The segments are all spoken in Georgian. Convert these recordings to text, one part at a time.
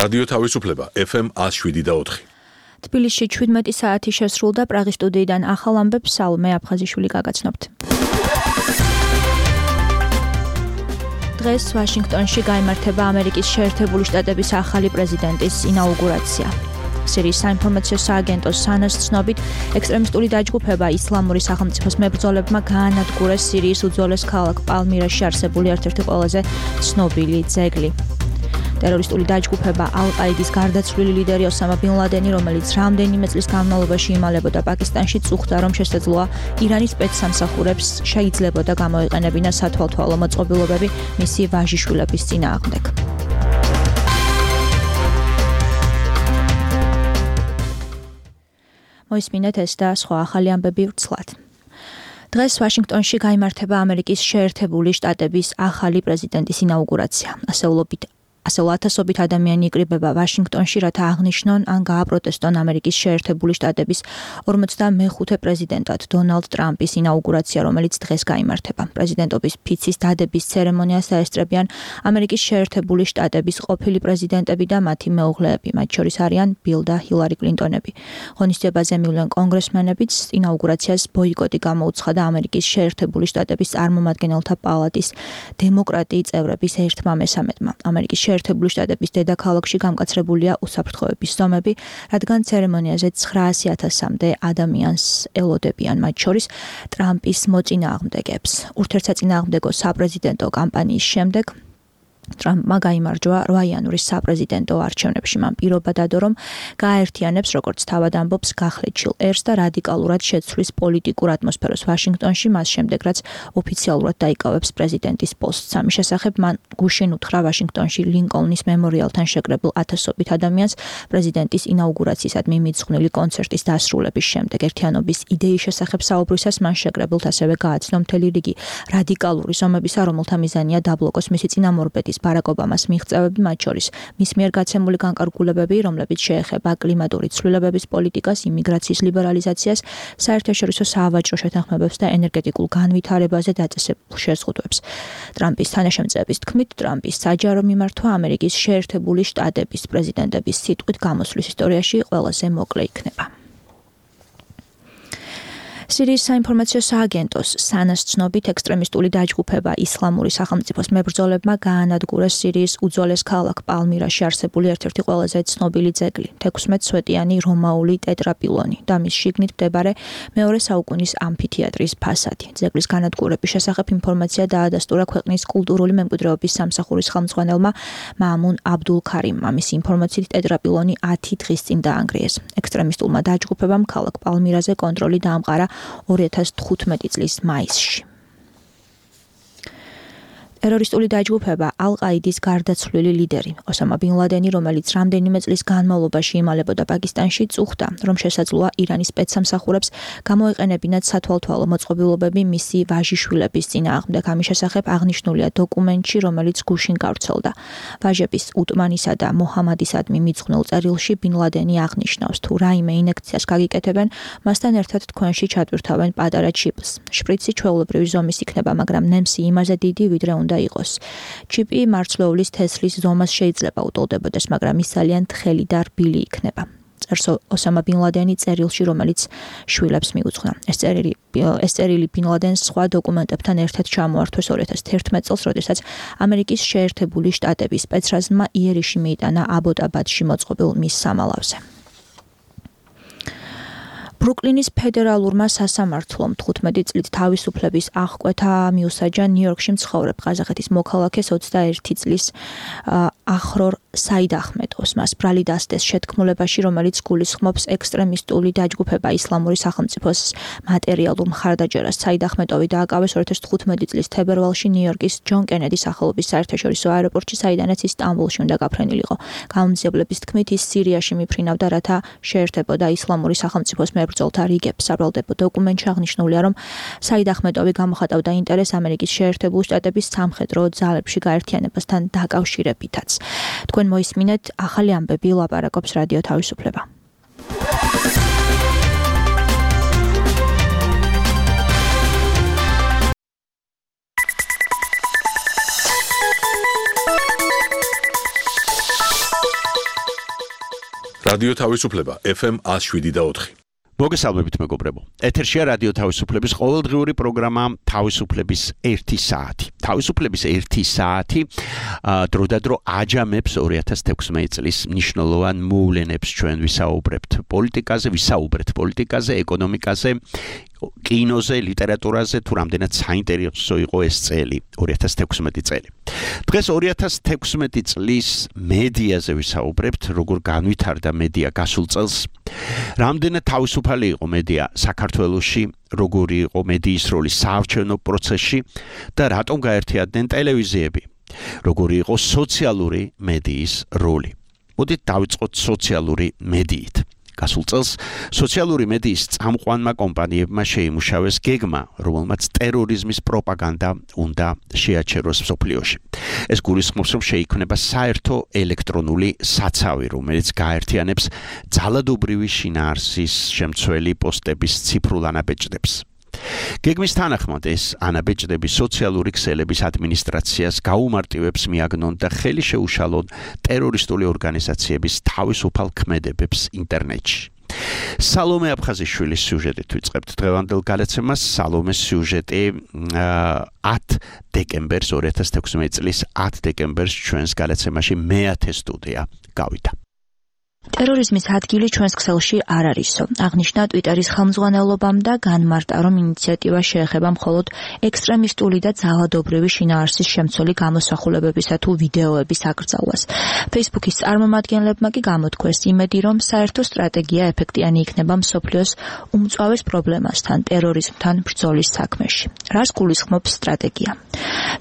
რადიო თავისუფლება FM 107.4. თბილისში 17 საათი შესრულდა პრაღის სტუდიიდან ახალ ამბებს სალმე აფხაზიშვილი გაგაცნობთ. დღეს ვაშინგტონში გაიმართება ამერიკის შეერთებული შტატების ახალი პრეზიდენტის ინაუგურაცია. სირიის საინფორმაციო სააგენტოს სანას ცნობით, ექსტრემისტული დაჯგუფება ისლამური სახელმწიფოს მებრძოლებმა გაანადგურეს სირიის უძველეს ქალაქ პალმირაში არსებული ერთ-ერთი ყველაზე ცნობილი ძეგლი. ტერორისტული დაჯგუფება ალ-ყაიდის გარდაცვლილი ლიდერი ოსამა ბინ ლადენი, რომელიც რამდენიმე წლის განმავლობაში იმალებოდა პაკისტანში, წუხდა, რომ შესაძლოა ირანის სპეცსამსახურებს შეიძლებოდა გამოეყენებინა სათვალთვალო მოწყობილობები მისი ვაჟიშვილების წინააღმდეგ. მოისმინეთ ეს და სხვა ახალი ამბები ვრცლად. დღეს ვაშინგტონში გაიმართება ამერიკის შეერთებული შტატების ახალი პრეზიდენტის ინაუგურაცია. ასეულ ათასობით ადამიანი იკრიბება ვაშინგტონში, რათა აღნიშნონ ან გააპროტესტონ ამერიკის შეერთებული შტატების 45 პრეზიდენტად დონალდ ტრამპის ინაუგურაცია, რომელიც დღეს გაიმართება. პრეზიდენტობის ფიცის დადების ცერემონიას დაესწრებიან ამერიკის შეერთებული შტატების ყოფილი პრეზიდენტები და მათი მეუღლეები, მათ შორის არიან ბილ და ჰილარი კლინტონები. ღონისძიებაზე მივლენ კონგრესმენებიც, ინაუგურაციას ბოიკოტი გამოუცხადა ამერიკის შეერთებული შტატების წარმომადგენელთა პალატის დემოკრატიის წევრების ერთმა მესამედმა. ამერიკის შეერთებული შტატების დედაქალაქში გამკაცრებულია უსაფრთხოების ზომები, რადგან ცერემონიაზე 900,000-მდე ადამიანს ელოდებიან, მათ შორის ტრამპის მოწინააღმდეგებს. ურთიერთსაწინააღმდეგო საპრეზიდენტო კამპანიის შემდეგ ტრამპმა გაიმარჯვა 8 იანვრის საპრეზიდენტო არჩევნებში. მან პირობა დადო, რომ გააერთიანებს, როგორც თავად ამბობს, გახლეჩილ ერს და რადიკალურად შეცვლის პოლიტიკურ ატმოსფეროს ვაშინგტონში, მას შემდეგ, რაც ოფიციალურად დაიკავებს პრეზიდენტის პოსტს. ამის შესახებ მან გუშინ უთხრა ვაშინგტონში ლინკოლნის მემორიალთან შეკრებილ ათასობით ადამიანს პრეზიდენტის ინაუგურაციისადმი მიძღვნილი კონცერტის დასრულების შემდეგ. ერთიანობის იდეის შესახებ საუბრისას მან შეკრებილთ ასევე გააცნო მთელი რიგი რადიკალური ზომებისა, რომელთა მიზანია დაბლოკოს მისი წინამორბედის ბარაკ ობამას მიღწევები, მათ შორის მის მიერ გაცემული განკარგულებები, რომლებიც შეეხება კლიმატური ცვლილებების პოლიტიკას, იმიგრაციის ლიბერალიზაციას, საერთაშორისო საავაჭრო შეთანხმებებს და ენერგეტიკულ განვითარებაზე დაწესებულ შეზღუდვებს. ტრამპის თანაშემწეების თქმით, ტრამპის საჯარო მიმართვა ამერიკის შეერთებული შტატების პრეზიდენტების სიტყვით გამოსვლის ისტორიაში ყველაზე მოკლე იქნება. სირიის საინფორმაციო სააგენტოს სანას ცნობით, ექსტრემისტული დაჯგუფება ისლამური სახელმწიფოს მებრძოლებმა გაანადგურეს სირიის უძველეს ქალაქ პალმირაში არსებული ერთ-ერთი ყველაზე ცნობილი ძეგლი, 16 სვეტიანი რომაული ტეტრაპილონი და მის შიგნით მდებარე მეორე საუკუნის ამფითეატრის ფასადი. ძეგლის განადგურების შესახებ ინფორმაცია დაადასტურა ქვეყნის კულტურული მემკვიდრეობის სამსახურის ხელმძღვანელმა მაამუნ აბდულ ქარიმმა. მისი ინფორმაციით ტეტრაპილონი 10 დღის წინ დაანგრიეს. ექსტრემისტულმა დაჯგუფებამ ქალაქ პალმირაზე კონტროლი დაამყარა 2015 წლის მაისში. ტერორისტული დაჯგუფება ალ-ყაიდის გარდაცვლილი ლიდერი ოსამა ბინ ლადენი, რომელიც რამდენიმე წლის განმავლობაში იმალებოდა პაკისტანში, წუხდა, რომ შესაძლოა ირანის სპეცსამსახურებს გამოეყენებინათ სათვალთვალო მოწყობილობები მისი ვაჟიშვილების წინააღმდეგ. ამის შესახებ აღნიშნულია დოკუმენტში, რომელიც გუშინ გავრცელდა. ვაჟების უტმანისა და მოჰამადისადმი მიძღვნილ წერილში ბინ ლადენი აღნიშნავს, თუ რაიმე ინექციას გაგიკეთებენ, მასთან ერთად თქვენში ჩატვირთავენ პატარა ჩიპს. შპრიცი ჩვეულებრივი ზომის იქნება, მაგრამ ნემსი იმაზე დიდი, ვიდრე უნდა იყოს. ჩიპი მარცვლეულის თესლის ზომას შეიძლება უტოლდებოდეს, მაგრამ ის ძალიან თხელი და რბილი იქნება. წერს ოსამა ბინ ლადენი წერილში, რომელიც შვილებს მიუძღვნა. ეს წერილი ბინ ლადენს სხვა დოკუმენტებთან ერთად ჩამოართვეს 2011 წელს, როდესაც ამერიკის შეერთებული შტატების სპეცრაზმმა იერიში მიიტანა აბოტაბადში მოწყობილ მის სამალავზე. ბრუკლინის ფედერალურმა სასამართლომ 15 წლით თავისუფლების აღკვეთა მიუსაჯა ნიუ-იორკში მცხოვრებ ყაზახეთის მოქალაქეს 21 წლის ახრორ საიდ ახმედოვს. მას ბრალი დასდეს შეთქმულებაში, რომელიც გულისხმობს ექსტრემისტული დაჯგუფება ისლამური სახელმწიფოს მატერიალურ მხარდაჭერას. საიდ ახმედოვი დააკავეს 2015 წლის თებერვალში ნიუ-იორკის ჯონ კენედის სახელობის საერთაშორისო აეროპორტში, საიდანაც ის სტამბოლში უნდა გაფრენილიყო. გამომძიებლების თქმით, ის სირიაში მიფრინავდა, რათა შეერთებოდა ისლამური სახელმწიფოს მებრძოლთა რიგებს. საბრალდებო დოკუმენტში აღნიშნულია, რომ საიდ ახმედოვი გამოხატავდა ინტერესს ამერიკის შეერთებული შტატების სამხედრო ძალებში გაერთიანებასთან დაკავშირებითაც. თქვენ მოისმინეთ ახალი ამბები, ლაპარაკობს რადიო თავისუფლება. რადიო თავისუფლება FM 107.4. მოგესალმებით მეგობრებო. ეთერშია რადიო თავისუფლების ყოველდღიური პროგრამა თავისუფლების 1 საათი. თავისუფლების 1 საათი დროდადრო აჯამებს 2016 წლის მნიშვნელოვან მოვლენებს ჩვენ ვისაუბრებთ პოლიტიკაზე, ეკონომიკაზე, კინოზე, ლიტერატურაზე, თუ რამდენად საინტერესო იყო ეს წელი, 2016 წელი. დღეს 2016 წლის მედიაზე ვისაუბრებთ, როგორ განვითარდა მედია გასულ წელს, რამდენად თავისუფალი იყო მედია საქართველოში, როგორი იყო მედიის როლი საარჩევნო პროცესში და რატომ გაერთიანდნენ ტელევიზიები, როგორი იყო სოციალური მედიის როლი. მოდით დავიწყოთ სოციალური მედიით. გასულ წელს სოციალური მედიის წამყვანმა კომპანიებმა შეიმუშავეს გეგმა, რომელმაც ტერორიზმის პროპაგანდა უნდა შეაჩეროს მსოფლიოში. ეს გულისხმობს, რომ შეიქმნება საერთო ელექტრონული საცავი, რომელიც გაერთიანებს ძალადობრივი შინაარსის შემცველი პოსტების ციფრულ ანაბეჭდებს. გეგმის თანახმად ეს ანაბეჭდები სოციალური ქსელების ადმინისტრაციას გაუმარტივებს მიაგნონ და ხელი შეუშალონ ტერორისტული ორგანიზაციების თავისუფალ ქმედებებს ინტერნეტში. სალომე აფხაზიშვილის სიუჟეტით ვიწყებთ დღევანდელ გადაცემას. სალომეს სიუჟეტი 10 დეკემბერს 2016 წლის 10 დეკემბერს ჩვენს გადაცემაში მე-10 სტუდია გავიდა. ტერორიზმის ადგილი ჩვენს ქსელში არ არისო. აღნიშნა ტვიტერის ხელმძღვანელობამ და განმარტა, რომ ინიციატივა შეეხება მხოლოდ ექსტრემისტული და ძალადობრივი შინაარსის შემცველი გამოსახულებებისა თუ ვიდეოების აკრძალვას. Facebook-ის წარმომადგენლებმა კი გამოთქვეს იმედი, რომ საერთო სტრატეგია ეფექტიანი იქნება მსოფლიოს უმწვავეს პრობლემასთან, ტერორიზმთან ბრძოლის საქმეში. რას გულისხმობს სტრატეგია?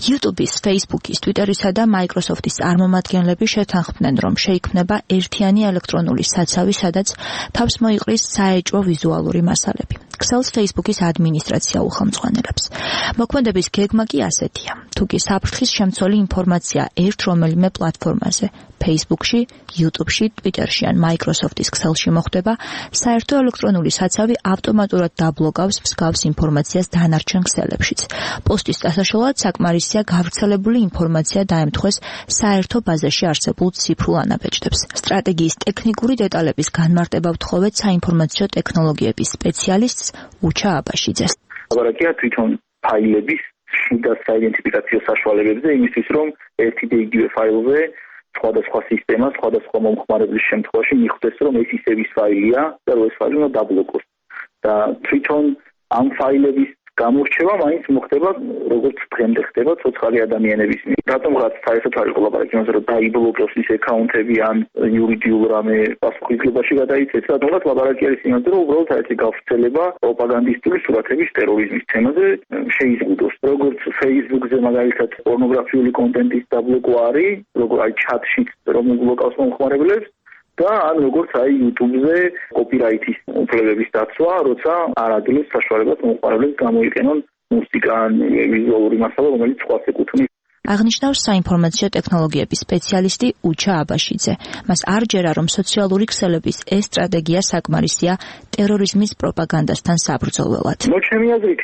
YouTube-ის, Facebook-ის, Twitter-ისა და Microsoft-ის წარმომადგენლები შეთანხმდნენ, რომ შეიქმნება ერთიანი ელექტრონული საცავი, სადაც თავს მოიყრის საეჭვო ვიზუალური მასალები. ქსელს Facebook-ის ადმინისტრაცია უხელმძღვანელებს. მოქმედების გეგმა კი ასეთია. თუკი საფრთხის შემცველი ინფორმაცია ერთ რომელიმე პლატფორმაზე, Facebook-ში, YouTube-ში, Twitter-ში ან Microsoft-ის ქსელში მოხვდება, საერთო ელექტრონული საცავი ავტომატურად დაბლოკავს მსგავს ინფორმაციას დანარჩენ ქსელებშიც. პოსტის დასაშლელად საკმარისია გავრცელებული ინფორმაცია დაემთხვეს საერთო ბაზაში არსებულ ციფრულ ანაბეჭდებს. სტრატეგიის ტექნიკური დეტალების განმარტება ვთხოვეთ საინფორმაციო ტექნოლოგიების სპეციალისტს უჩა აბაშიძეს. ლაბორატორია თვითონ ფაილების შიდა საიდენტიფიკაციო საშუალებებზე, იმისთვის რომ ერთი და იგივე ფაილზე სხვადასხვა სისტემა, სხვადასხვა მომხმარებლის შემთხვევაში მიხვდეს, რომ ეს ისევ ის ფაილია და ეს ფაილი უნდა დაბლოკოს. და თვითონ ამ ფაილების გამორჩევა მაინც მოხდება, როგორც დღემდე ხდება ცოცხალი ადამიანების მიერ. რატომღაც საერთოდ არ იყო ლაბორატორია, რომ დაიბლოკოს ის აკაუნტები ან იურიდიულ რამე პასუხისგებაში გადაიცეს, რატომღაც ლაბორატორიის იმაზე, რომ უბრალოდ საერთო გავრცელება პროპაგანდისტული სურათების ტერორიზმის თემაზე შეიზღუდოს. როგორც Facebook-ზე მაგალითად პორნოგრაფიული კონტენტის დაბლოკვა არის, როგორც აი ჩატშიც რომ უბლოკავს მომხმარებლებს, და ან როგორც აი YouTube-ზე კოპირაიტის უფლებების დაცვა, როცა არ აძლევს საშუალებას მომხმარებლებს გამოიყენონ მუსიკა ან ვიზუალური მასალა, რომელიც სხვას ეკუთვნის. აღნიშნავს საინფორმაციო ტექნოლოგიების სპეციალისტი უჩა აბაშიძე. მას არ ჯერა, რომ სოციალური ქსელების ეს სტრატეგია საკმარისია ტერორიზმის პროპაგანდასთან საბრძოლველად. ჩემი აზრით,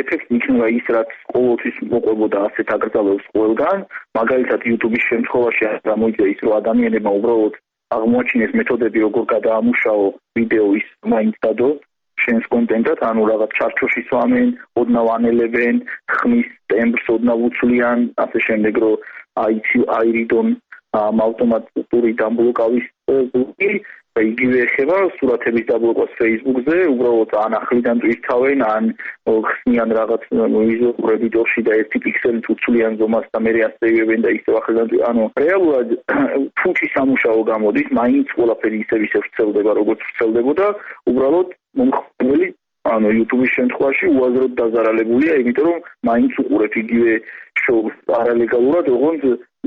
ეფექტი იქნება ის, რაც ყოველთვის მოყვებოდა ასეთ აკრძალვებს ყველგან, მაგალითად YouTube-ის შემთხვევაში გამოიწვია ის, რომ ადამიანებმა უბრალოდ აღმოაჩინეს მეთოდები, როგორ გადაამუშაო ვიდეო ის მაინც დადო შენს კონტენტად, ანუ რაღაც ჩარჩოში სვამენ, ოდნავ ანელებენ, ხმის ტემბრს ოდნავ უცვლიან, ასე შემდეგ, რომ აირიდონ ავტომატური დაბლოკავის ბლოკი და იგივე ეხება სურათების დაბლოკას Facebook-ზე, უბრალოდ ან ახლიდან ტვირთავენ, ან ხსნიან რაღაც ვიზუალურ ედიტორში და ერთი პიქსელით უცვლიან ზომას და მერე ასწევებენ და ისევ ახლიდან, ანუ რეალურად ფუჭი სამუშაო გამოდის, მაინც ყველაფერი ისევ ვრცელდება, როგორც ვრცელდებოდა, უბრალოდ მომხმარებელი ანუ YouTube-ის შემთხვევაში უაზროდ დაზარალებულია, იმიტომ რომ მაინც უყურებ იგივე შოუს პარალეგალურად, როგორც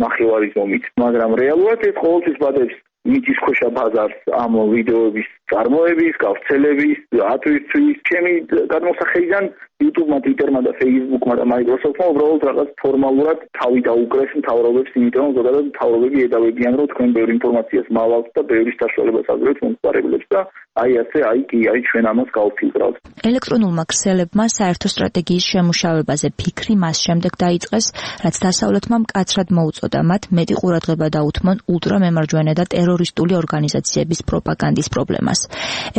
ნახევარი ზომით, მაგრამ რეალურად ეს ყოველთვის ბადებს მიწის ქვეშა ბაზარს ამ ვიდეოების წარმოების, გავრცელების, ატვირთვის, ჩემი გადმოსახედიდან YouTube-მა, Twitter-მა და Facebook-მა და Microsoft-მა უბრალოდ რაღაც ფორმალურად თავი დაუკრეს მთავრობებს, იმიტომ რომ ზოგადად მთავრობები ედავებიან, რომ თქვენ ბევრი ინფორმაციას მალავთ და ბევრი საშუალებას აძლევთ მომხმარებლებს და აი ჩვენ ამას გავფილტრავთ. ელექტრონულმა ქსელებმა საერთო სტრატეგიის შემუშავებაზე ფიქრი მას შემდეგ დაიწყეს, რაც დასავლეთმა მკაცრად მოუწოდა მათ მეტი ყურადღება დაუთმონ ულტრამემარჯვენე და ტერორიზმის ტერორისტული ორგანიზაციების პროპაგანდის პრობლემას.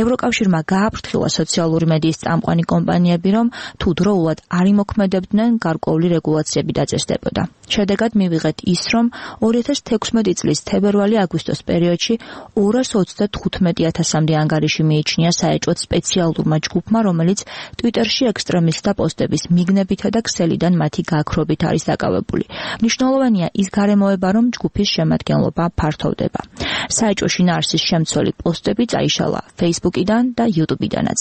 ევროკავშირმა გააფრთხილა სოციალური მედიის წამყვანი კომპანიები, რომ თუ დროულად არ იმოქმედებდნენ, გარკვეული რეგულაციები დაწესდებოდა. შედეგად მივიღეთ ის, რომ 2016 წლის თებერვალი-აგვისტოს პერიოდში 235,000-მდე ანგარიში მიიჩნია საეჭვოდ სპეციალურმა ჯგუფმა, რომელიც ტვიტერში ექსტრემისტთა პოსტების მიგნებითა და ქსელიდან მათი გაქრობით არის დაკავებული. მნიშვნელოვანია ის გარემოება, რომ ჯგუფის შემადგენლობა ფართოვდება. საეჭვო შინაარსის შემცველი პოსტები წაიშალა Facebook-იდან და YouTube-იდანაც.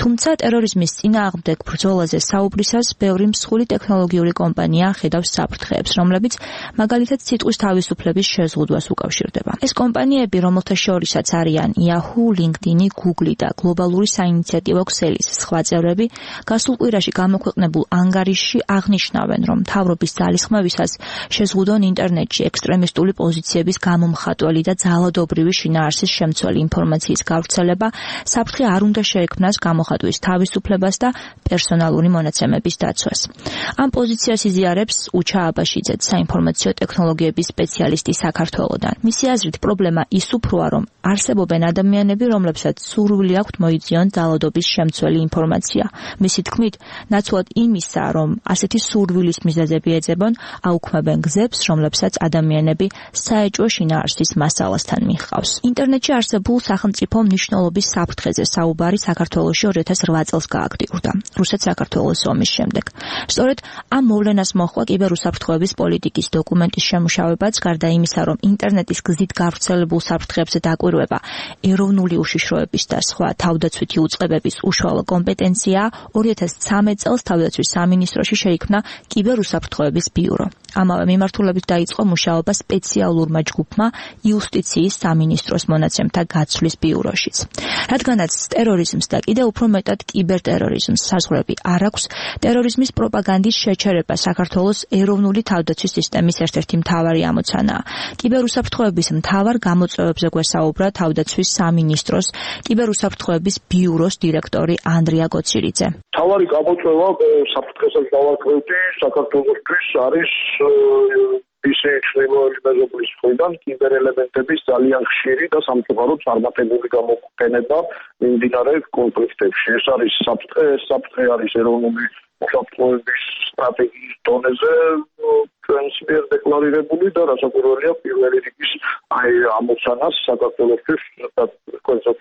თუმცა ტერორიზმის წინააღმდეგ ბრძოლაზე საუბრისას ბევრი მსხვილი ტექნოლოგიური კომპანია ხედავს საფრთხეებს, რომლებიც მაგალითად სიტყვის თავისუფლების შეზღუდვას უკავშირდება. ეს კომპანიები, რომელთა შორისაც არიან Yahoo, LinkedIn, Google და გლობალური საინიციატივო ქსელის სხვა წევრები, გასულ კვირაში გამოქვეყნებულ ანგარიშში აღნიშნავენ, რომ მთავრობის ძალისხმევისას შეზღუდონ ინტერნეტში ექსტრემისტული პოზიციების გამომხატველი და ძალადობრივი შინაარსის შემცველი ინფორმაციის გავრცელება საფრთხე არ უნდა შეექმნას გამოხატვის თავისუფლებას და პერსონალური მონაცემების დაცვას. ამ პოზიციას იზიარებს უჩა აბაშიძე, საინფორმაციო ტექნოლოგიების სპეციალისტი საქართველოდან. მისი აზრით, პრობლემა ის უფროა, რომ არსებობენ ადამიანები, რომლებსაც სურვილი აქვთ მოიძიონ ძალადობის შემცველი ინფორმაცია. მისი თქმით, ნაცვლად იმისა, რომ ასეთი სურვილის მიზეზები ეძებონ, აუქმებენ გზებს, რომლებსაც ადამიანები საეჭვო შინაარსის მასალასთან მიჰყავს. ინტერნეტში არსებულ სახელმწიფო მნიშვნელობის საფრთხეზე საუბარი საქართველოში 2008 წელს გააქტიურდა, რუსეთ-საქართველოს ომის შემდეგ. სწორედ ამ მოვლენას მოჰყვა კიბერუსაფრთხოების პოლიტიკის დოკუმენტის შემუშავებაც, გარდა იმისა, რომ ინტერნეტის გზით გავრცელებულ საფრთხეებზე დაკვირვება ეროვნული უშიშროების და სხვა თავდაცვითი უწყებების უშუალო კომპეტენცია, 2013 წელს თავდაცვის სამინისტროში შეიქმნა კიბერუსაფრთხოების ბიურო. ამავე მიმართულებით დაიწყო მუშაობა სპეციალურმა ჯგუფმა იუსტიციის სამინისტროს მონაცემთა გაცვლის ბიუროშიც. რადგანაც ტერორიზმს და კიდევ უფრო მეტად კიბერტერორიზმს საზღვრები არ აქვს, ტერორიზმის პროპაგანდის შეჩერება საქართველოს ეროვნული თავდაცვის სისტემის ერთ-ერთი მთავარი ამოცანაა. კიბერუსაფრთხოების მთავარ გამოწვევებზე გვესაუბრა თავდაცვის სამინისტროს კიბერუსაფრთხოების ბიუროს დირექტორი ანდრია გოცირიძე. მთავარი გამოწვევა საფრთხესაც დავარქვევდი საქართველოსთვის არის ისე ჩრდილოელი მეზობლის მხრიდან კიბერელემენტების ძალიან ხშირი და სამწუხაროდ წარმატებული გამოყენება მიმდინარე კონფლიქტებში. ეს არის საფრთხე არის ეროვნული უსაფრთხოების სტრატეგიის დონეზე ჩვენს მიერ დეკლარირებული და რასაკვირველია პირველი რიგის ამოცანას საქართველოსთვის და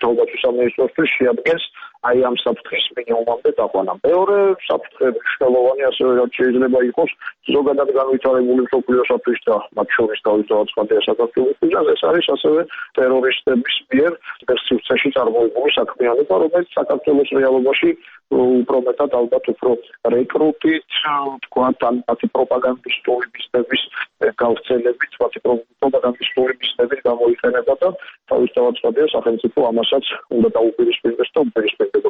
თავდაცვის სამინისტროსთვის შეადგენს ამ საფრთხის მინიმუმამდე დაყვანა. მეორე საფრთხე მნიშვნელოვანი ასევე შეიძლება იყოს ზოგადად განვითარებული მსოფლიოსათვის და მათ შორის თავისთავად სხვადასხვა საქართველოსთვის და ეს არის ასევე ტერორისტების მიერ სივრცეში წარმოებული საქმიანობა, რომელიც საქართველოს რეალობაში უფრო მეტად ალბათ უფრო რეკრუტით, თქვათ, მათი პროპაგანდისტული მიზნების გავრცელებით, მათი პროპაგანდისტული მიზნებით გამოიყენება და თავისთავად სხვადასხვა სახელმწიფო ამასაც უნდა დაუპირისპირდეს და უპირისპირდება.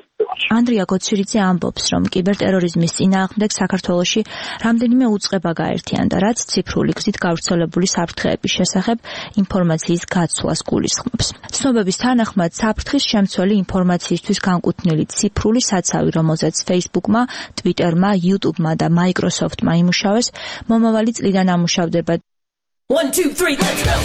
ანდრია გოცირიძე ამბობს, რომ კიბერტერორიზმის წინააღმდეგ საქართველოში რამდენიმე უწყება გაერთიანდა, რაც ციფრული გზით გავრცელებული საფრთხეების შესახებ ინფორმაციის გაცვლას გულისხმობს. ცნობების თანახმად, საფრთხის შემცველი ინფორმაციისთვის განკუთვნილი ციფრული საცავი, რომელზეც Facebook-მა, Twitter-მა, YouTube-მა და Microsoft-მა იმუშავეს, მომავალი წლიდან ამუშავდება. 1 2 3 let's go.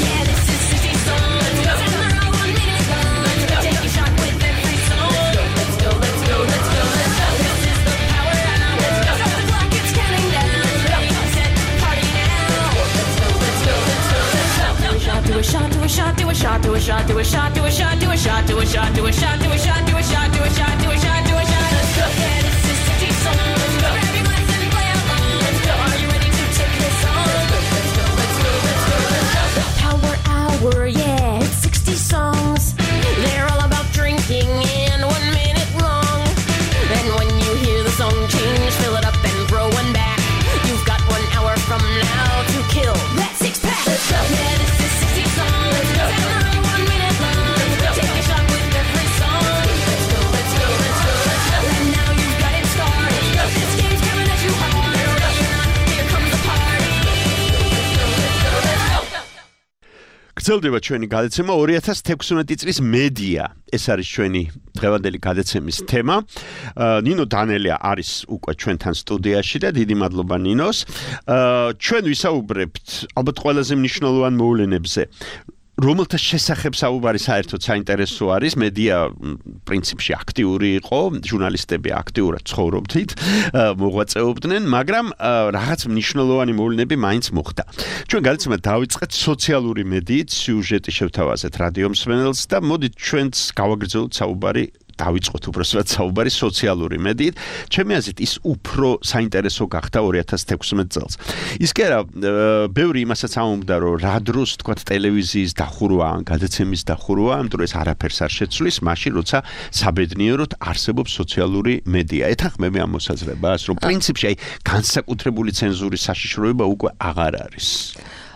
Do a shot, do a shot, do a shot, do a shot, do a shot, do a shot, do a shot, do a shot, do a shot, do a shot, do a shot, do a shot, do a shot, do a shot. Let's go. Yeah, this is 60 song. Let's go. Grab your glass and play along. Let's go. Are you ready to take this on? Let's go, let's go, let's go, let's go. Power hour, yeah, it's 60 songs. They're all about drinking and 1 minute long. And when you hear the song change, fill it up and throw one back. You've got 1 hour from now to kill that 6-pack. Let's go. Yeah, this is 60 songs. Let's go. 1 minute long. Let's go. Take a shot with every song. Let's go, let's go, let's go, let's go. And now you've got it started. Let's go. This game's coming at you hard. Ready or not, here comes the party. Let's go, let's go, let's go. გრძელდება ჩვენი გადაცემა 2016 წლის მედია. ეს არის ჩვენი დღევანდელი გადაცემის თემა. ნინო დანელია არის უკვე ჩვენთან სტუდიაში და დიდი მადლობა ნინოს. ჩვენ ვისაუბრებთ ალბათ ყველაზე მნიშვნელოვან მოვლენებზე. რომელთა შესახებ საუბარი საერთოდ საინტერესო არის, მედია პრინციპში აქტიური იყო, ჟურნალისტები აქტიურად ცხოვრობდნენ, მოღვაწეობდნენ, მაგრამ რაღაც მნიშვნელოვანი მოვლენები მაინც მოხდა. ჩვენ გადაცემა დავიწყეთ სოციალური მედიით, სიუჟეტი შევთავაზეთ რადიო მსმენელს და მოდით ჩვენც გავაგრძელოთ საუბარი დავიწყოთ უბრალოდ საუბარი სოციალური მედიით. ჩემი აზრით ის უფრო საინტერესო გახდა 2016 წელს. ის კი არა, ბევრი იმასაც ამბობდა, რომ რა დროს თქვა ტელევიზიის დახურვა, გადაცემის დახურვა, ამიტომ ეს არაფერს არ შეცვლის, მაშინ როცა საბედნიეროდ არსებობს სოციალური მედია. ეთანხმები ამ მოსაზრებას, რომ პრინციპში აი განსაკუთრებული ცენზურის საშიშროება უკვე აღარ არის.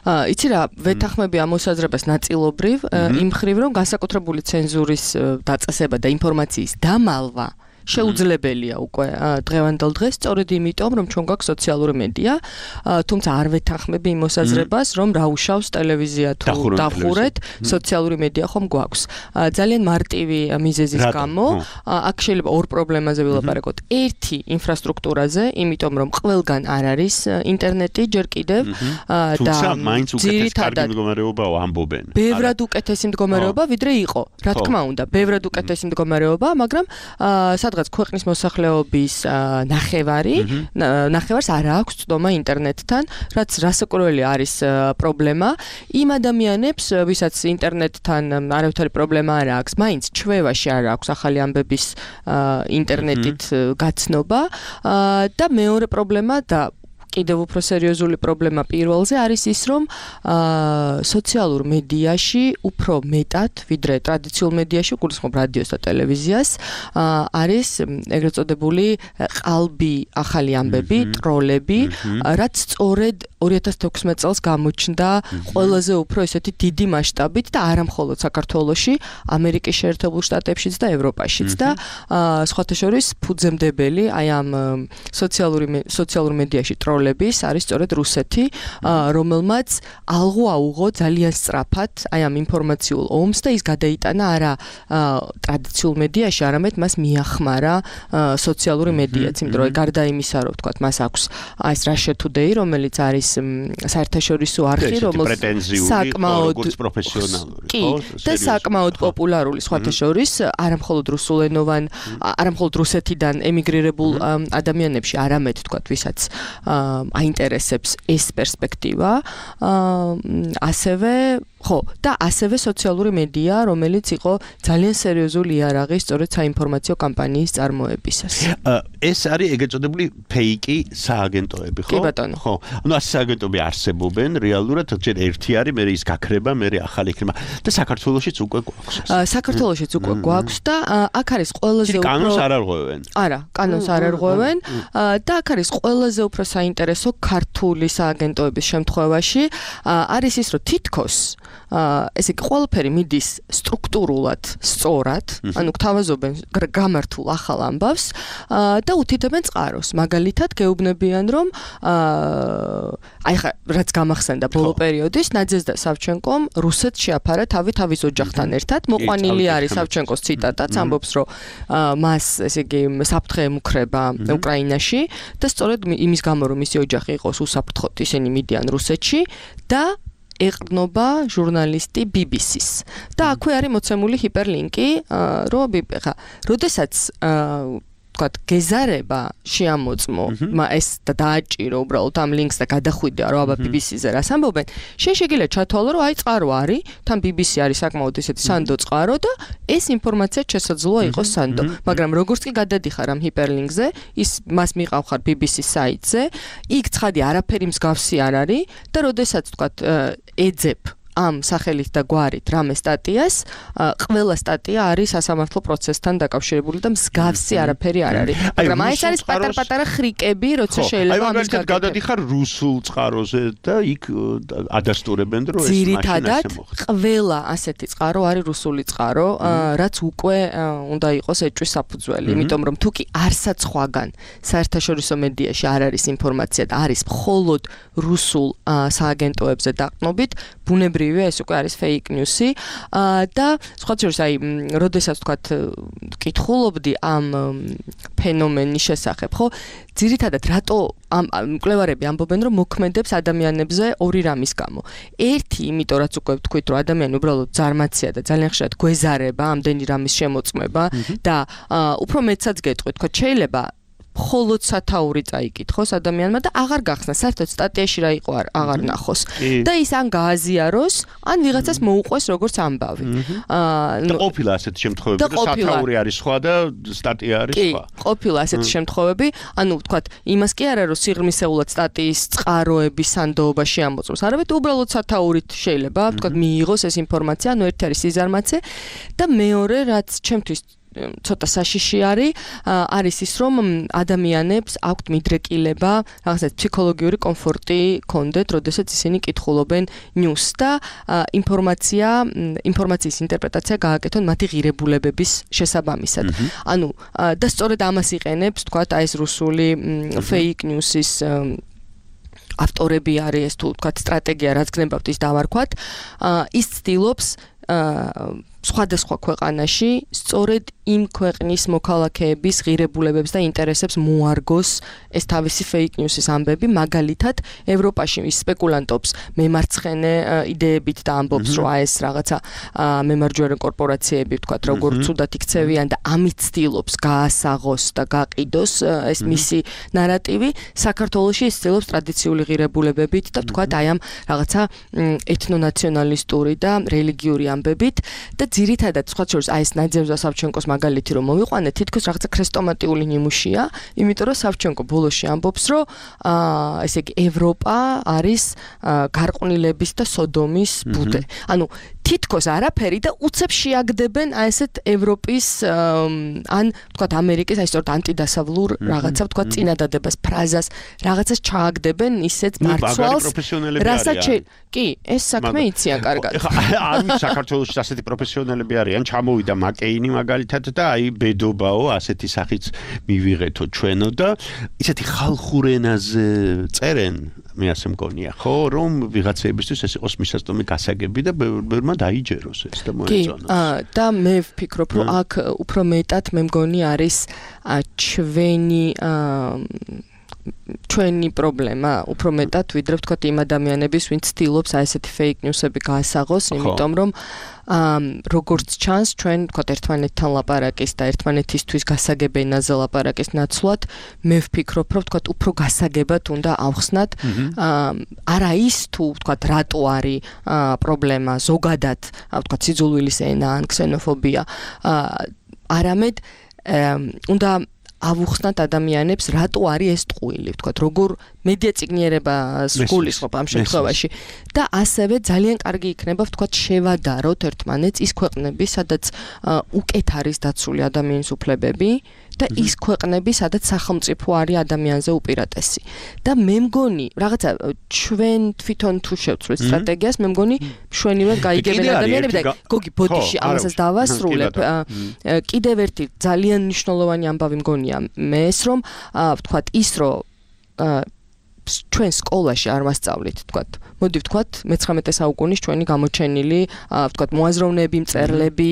იცი რა, ვეთანხმები ამ მოსაზრებას ნაწილობრივ, იმ მხრივ რომ განსაკუთრებული ცენზურის დაწესება და ინფორმაციის დამალვა შეუძლებელია უკვე დღევანდელ დღეს, სწორედ იმიტომ, რომ ჩვენ გვაქვს სოციალური მედია, თუმცა არ ვეთანხმები იმ მოსაზრებას, რომ რა უშავს ტელევიზია თუ დახურეთ, სოციალური მედია ხომ გვაქვს. ძალიან მარტივი მიზეზის გამო, აქ შეიძლება ორ პრობლემაზე ვილაპარაკოთ. ერთი ინფრასტრუქტურაზე, იმიტომ რომ ყველგან არ არის ინტერნეტი ჯერ კიდევ და მაინც უკეთეს კარგი მდგომარეობაა ამბობენ. ბევრად უკეთესი მდგომარეობა ვიდრე იყო. რა თქმა უნდა, ბევრად უკეთესი მდგომარეობა, მაგრამ სადღაც ქვეყნის მოსახლეობის ნახევარს არ აქვს ცდომა ინტერნეტთან, რაც რასაკვირველი არის პრობლემა. იმ ადამიანებს, ვისაც ინტერნეტთან არავითარი პრობლემა არ აქვს, მაინც ჩვევაში არ აქვს ახალი ამბების ინტერნეტით გაცნობა და მეორე პრობლემა და კიდევ უფრო სერიოზული პრობლემა პირველზე არის ის, რომ სოციალურ მედიაში უფრო მეტად, ვიდრე ტრადიციულ მედიაში, გულისხმობ რადიოს და ტელევიზიას, არის ეგრეთ წოდებული ყალბი ახალი ამბები, ტროლები, რაც სწორედ 2016 წელს გამოჩნდა ყველაზე უფრო ესეთი დიდი მასშტაბით და არა მხოლოდ საქართველოში, ამერიკის შეერთებულ შტატებშიც და ევროპაშიც და სხვათა შორის ფუძემდებელი აი ამ სოციალურ მედიაში ტროლების არის სწორედ რუსეთი, რომელმაც ალღო აუღო ძალიან სწრაფად აი ამ ინფორმაციულ ომს და ის გადაიტანა არა ტრადიციულ მედიაში, არამედ მას მიახმარა სოციალური მედიაც, იმიტომ რომ გარდა იმისა, რომ ვთქვათ, მას აქვს აი ეს Russia Today, რომელიც არის საერთაშორისო არხი, რომელიც საკმაოდ პროფესიონალური, და საკმაოდ პოპულარული სხვათა შორის, არა მხოლოდ რუსეთიდან ემიგრირებულ ადამიანებში, არამედ ვთქვათ, ვისაც აინტერესებს ეს პერსპექტივა, ასევე სოციალური მედია, რომელიც იყო ძალიან სერიოზული იარაღი სწორედ საინფორმაციო კამპანიის წარმოებისას. ეს არის ეგრეთ წოდებული ფეიკი სააგენტოები, ხო? კი ბატონო. ხო. ანუ ეს სააგენტოები არსებობენ რეალურად, ჯერ ერთი არის, მე ის გაქრება, მე ახალი იქნება და საქართველოშიც უკვე გვაქვს. საქართველოშიც უკვე გვაქვს და აქ არის ყველაზე უფრო კანონს არ არღვევენ. არა, კანონს არ არღვევენ და აქ არის ყველაზე უფრო საინტერესო ქართული სააგენტოების შემთხვევაში არის ის, რომ თითქოს ესე იგი ყველაფერი მიდის სტრუქტურულად სწორად, ანუ გთავაზობენ გამართულ ახალ ამბავს და უთითებენ წყაროს. მაგალითად, გეუბნებიან, რომ აი ხა რაც გამახსენდა ბოლო პერიოდის, ნაძეზდა სავჩენკომ რუსეთს შეაფარა თავის ოჯახთან ერთად. მოყვანილი არის სავჩენკოს ციტატაც, ამბობს, რომ მას ესე იგი საფრთხე ემუქრება უკრაინაში და სწორედ იმის გამო, რომ მისი ოჯახი იყოს უსაფრთხოდ, ისინი მიდიან რუსეთში და ეყრდნობა ჟურნალისტი BBC-ს. და აქვე არის მოცემული ჰიპერლინკი, რომ ხა, როდესაც ვთქვათ, გეზარება შეამოწმო, ეს და დააჭირო უბრალოდ ამ ლინკს და გადახვიდე, რომ აბა BBC-ზე რას ამბობენ, შეგიძლია ჩათვალო, რომ აი წყარო არის, თან BBC არის საკმაოდ ისეთი სანდო წყარო და ეს ინფორმაცია შესაძლოა იყოს სანდო. მაგრამ როგორც კი გადადიხარ ამ ჰიპერლინკზე, მას მიყავხარ BBC საიტზე, იქ ცხადი არაფერი მსგავსი არ არის და როდესაც ვთქვათ, ეძებ ამ სახელით და გვარით რამე სტატიას, ყველა სტატია არის სასამართლო პროცესთან დაკავშირებული და მსგავსი არაფერი არ არის. მაგრამ აი ეს არის პატარ-პატარა ხრიკები, როცა შეიძლება ამის გაგებია. აი გადადიხარ რუსულ წყაროზე და იქ ადასტურებენ, რომ ეს მაშინ ძირითადად ყველა ასეთი წყარო არის რუსული წყარო, რაც უკვე უნდა იყოს ეჭვის საფუძველი, იმიტომ რომ თუკი არსად სხვაგან საერთაშორისო მედიაში არ არის ინფორმაცია და არის მხოლოდ რუსულ სააგენტოებზე დაყრდნობით, ბუნებრივია ჩვეულებრივი, ეს უკვე არის fake news-ი და სხვა შორის აი როდესაც თქვათ კითხულობდი ამ ფენომენის შესახებ, ხო? ძირითადად რატო ამ მკვლევარები ამბობენ, რომ მოქმედებს ადამიანებზე ორი რამის გამო. ერთი, იმიტომ რაც უკვე ვთქვით, რომ ადამიანი უბრალოდ ზარმაცია და ძალიან ხშირად გვეზარება ამდენი რამის შემოწმება და უფრო მეცაც გეტყვით, თქო, შეიძლება მხოლოდ სათაური წაიკითხოს ადამიანმა და აღარ გახსნა საერთოდ სტატიაში რა იყო აღარ ნახოს და ის ან გააზიაროს ან ვიღაცას მოუყვეს როგორც ამბავი. და ყოფილა ასეთი შემთხვევები, რომ სათაური არის სხვა და სტატია არის სხვა. კი, ყოფილა ასეთი შემთხვევები, ანუ ვთქვათ, იმას კი არა რომ სიღრმისეულად სტატიის წყაროების სანდოობაში ამოწმოს, არამედ უბრალოდ სათაურით შეიძლება, ვთქვათ, მიიღოს ეს ინფორმაცია, ანუ ერთი არის სიზარმაცე და მეორე რაც ჩემთვის ცოტა საშიში არის ის რომ ადამიანებს აქვთ მიდრეკილება, რაღაცა ფსიქოლოგიური კომფორტი კონდეთ, როდესაც ისინი კითხულობენ news და ინფორმაციის ინტერპრეტაცია გააკეთონ მათი ღირებულებების შესაბამისად. ანუ და სწორედ ამას იყენებს, თქვათ, აი ეს რუსული fake news-ის ავტორები არის, თუ თქვათ, სტრატეგია რაც გნებავთ ის დავარქვათ, ის ცდილობს სხვადასხვა ქვეყანაში სწორედ იმ ქვეყნის მოქალაქეების ღირებულებებს და ინტერესებს მოარგოს ეს თავისი fake news-ის ამბები, მაგალითად ევროპაში ის სპეკულანტობს მემარცხენე იდეებით და ამბობს, რომ ეს რაღაცა მემარჯვენე კორპორაციები, ვთქვათ, როგორ ცუდად იქცევიან და ამით ცდილობს გაასაღოს და გაყიდოს ეს მისი ნარატივი. საქართველოში ის ცდილობს ტრადიციული ღირებულებებით და ვთქვათ, აი ამ რაღაცა ეთნონაციონალისტური და რელიგიური ამბებით და ძირითადად სხვა შორის აი ეს ნაძევზა სავჩენკოს მაგალითი რომ მოვიყვანეთ, თითქოს რაღაცა ქრესტომატიული ნიმუშია, იმიტომ რომ სავჩენკო ბოლოში ამბობს, რომ ესე იგი ევროპა არის გარყვნილების და სოდომის ბუდე. ანუ თითქოს არაფერი და უცებ შეაგდებენ აი ესეთ ევროპის ან თქვათ ამერიკის აი სწორედ ანტიდასავლურ რაღაცა თქვათ წინადადებას, ფრაზას, რაღაცას ჩააგდებენ ისეთ მარცვალს, რასაც კი, ეს საქმე იციან კარგად. არის საქართველოში ასეთი პროფესიონალები არიან, ჩამოვიდა მაკეინი მაგალითად და აი ბედობაო ასეთი სახით მივიღეთო ჩვენო და ისეთი ხალხურ ენაზე წერენ, მე ასე მგონია, ხო, რომ ვიღაცეებისთვის ეს იყოს მისაწვდომი გასაგები და ბევრმა დაიჯეროს ეს და მოეწონოს. კი, და მე ვფიქრობ, რომ აქ უფრო მეტად მე მგონი არის ჩვენი პრობლემა, უფრო მეტად ვიდრე ვთქვათ იმ ადამიანების, ვინც ცდილობს აი ესეთი fake news-ები გაასაღოს, იმიტომ რომ როგორც ჩანს, ჩვენ ვთქვათ ერთმანეთთან ლაპარაკის და ერთმანეთისთვის გასაგებ ენაზე ლაპარაკის ნაცვლად, მე ვფიქრობ, რომ ვთქვათ უფრო გასაგებად უნდა ავხსნათ, არა ის თუ ვთქვათ რატო არის პრობლემა ზოგადად, ვთქვათ სიძულვილის ენა ან ქსენოფობია, არამედ უნდა ავუხსნათ ადამიანებს, რატო არის ეს ტყუილი, ვთქვათ, როგორ მედია წიგნიერებას გულისხმობ ამ შემთხვევაში და ასევე ძალიან კარგი იქნება, ვთქვათ, შევადაროთ ერთმანეთს ის ქვეყნები, სადაც უკეთ არის დაცული ადამიანის უფლებები და ის ქვეყნები, სადაც სახელმწიფო არის ადამიანზე უპირატესი. და მე მგონი, რაღაცა ჩვენ თვითონ თუ შევცვლით სტრატეგიას, მე მგონი მშვენივრად გაიგებენ ადამიანები და გოგი ბოდიში ამასაც დავასრულებ. კიდევ ერთი ძალიან მნიშვნელოვანი ამბავი მგონია მე ეს, რომ ვთქვათ, ის რომ ჩვენ სკოლაში არ მასწავლით, ვთქვათ, მოდი ვთქვათ, მე-19 საუკუნის ჩვენი გამოჩენილი, ვთქვათ, მოაზროვნეები, მწერლები,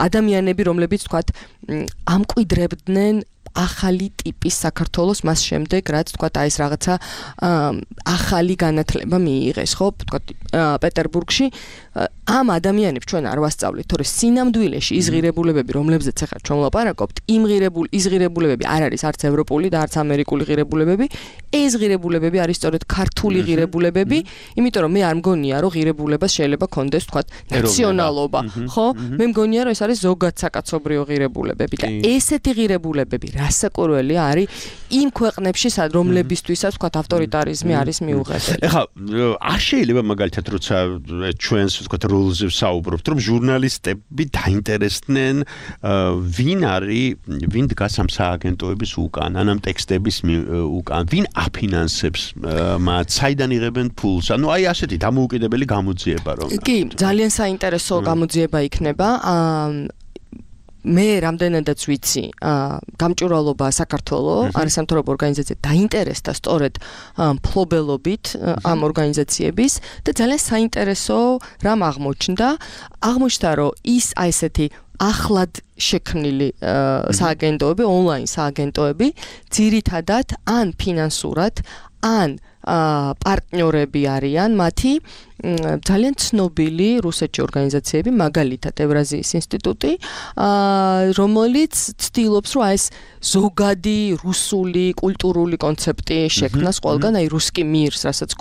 ადამიანები, რომლებიც ვთქვათ, ამკვიდრებდნენ ახალი ტიპის საქართველოს მას შემდეგ, რაც ვთქვათ, აი ეს რაღაცა ახალი განათლება მიიღეს, ხო, ვთქვათ, პეტერბურგში ამ ადამიანებს ჩვენ არ ვასწავლით, თორე სინამდვილეში ის ღირებულებები, რომლებზეც ახლა ჩვენ ვლაპარაკობთ, ის ღირებულებები არ არის არც ევროპული და არც ამერიკული ღირებულებები, ეს ღირებულებები არის სწორედ ქართული ღირებულებები, იმიტომ რომ მე არ მგონია, რომ ღირებულებას შეიძლება კონდეს, ვთქვათ, ნაციონალობა, ხო? მე მგონია, რომ ეს არის ზოგად საკაცობრიო ღირებულებები და ესეთი ღირებულებები რასაკვირველია არის იმ ქვეყნებში, რომლებისთვისაც ვთქვათ, ავტორიტარიზმი არის მიუღებელი. ეხლა არ შეიძლება მაგალითად, როცა ჩვენს ვთქვათ როლზე ვსაუბრობთ, რომ ჟურნალისტები დაინტერესდნენ ვინ დგას ამ სააგენტოების უკან, ან ამ ტექსტების უკან, ვინ აფინანსებს მათ, საიდან იღებენ ფულს. ანუ აი ასეთი დამოუკიდებელი გამოძიება რომ. კი, ძალიან საინტერესო გამოძიება იქნება. მე რამდენადაც ვიცი, გამჭვირვალობა საქართველოს არასამთავრობო ორგანიზაცია დაინტერესდა სწორედ მფლობელობით ამ ორგანიზაციების და ძალიან საინტერესო რამ აღმოჩნდა, რომ ის აი ესეთი ახლად შექმნილი სააგენტოები, ონლაინ სააგენტოები, ძირითადად ან ფინანსურად, ან პარტნიორები არიან მათი ძალიან ცნობილი რუსეთში ორგანიზაციები, მაგალითად ევრაზიის ინსტიტუტი, რომელიც ცდილობს, რომ ეს ზოგადი რუსული კულტურული კონცეფტი შექმნას ყველგან, აი რუსკი მირს, რაც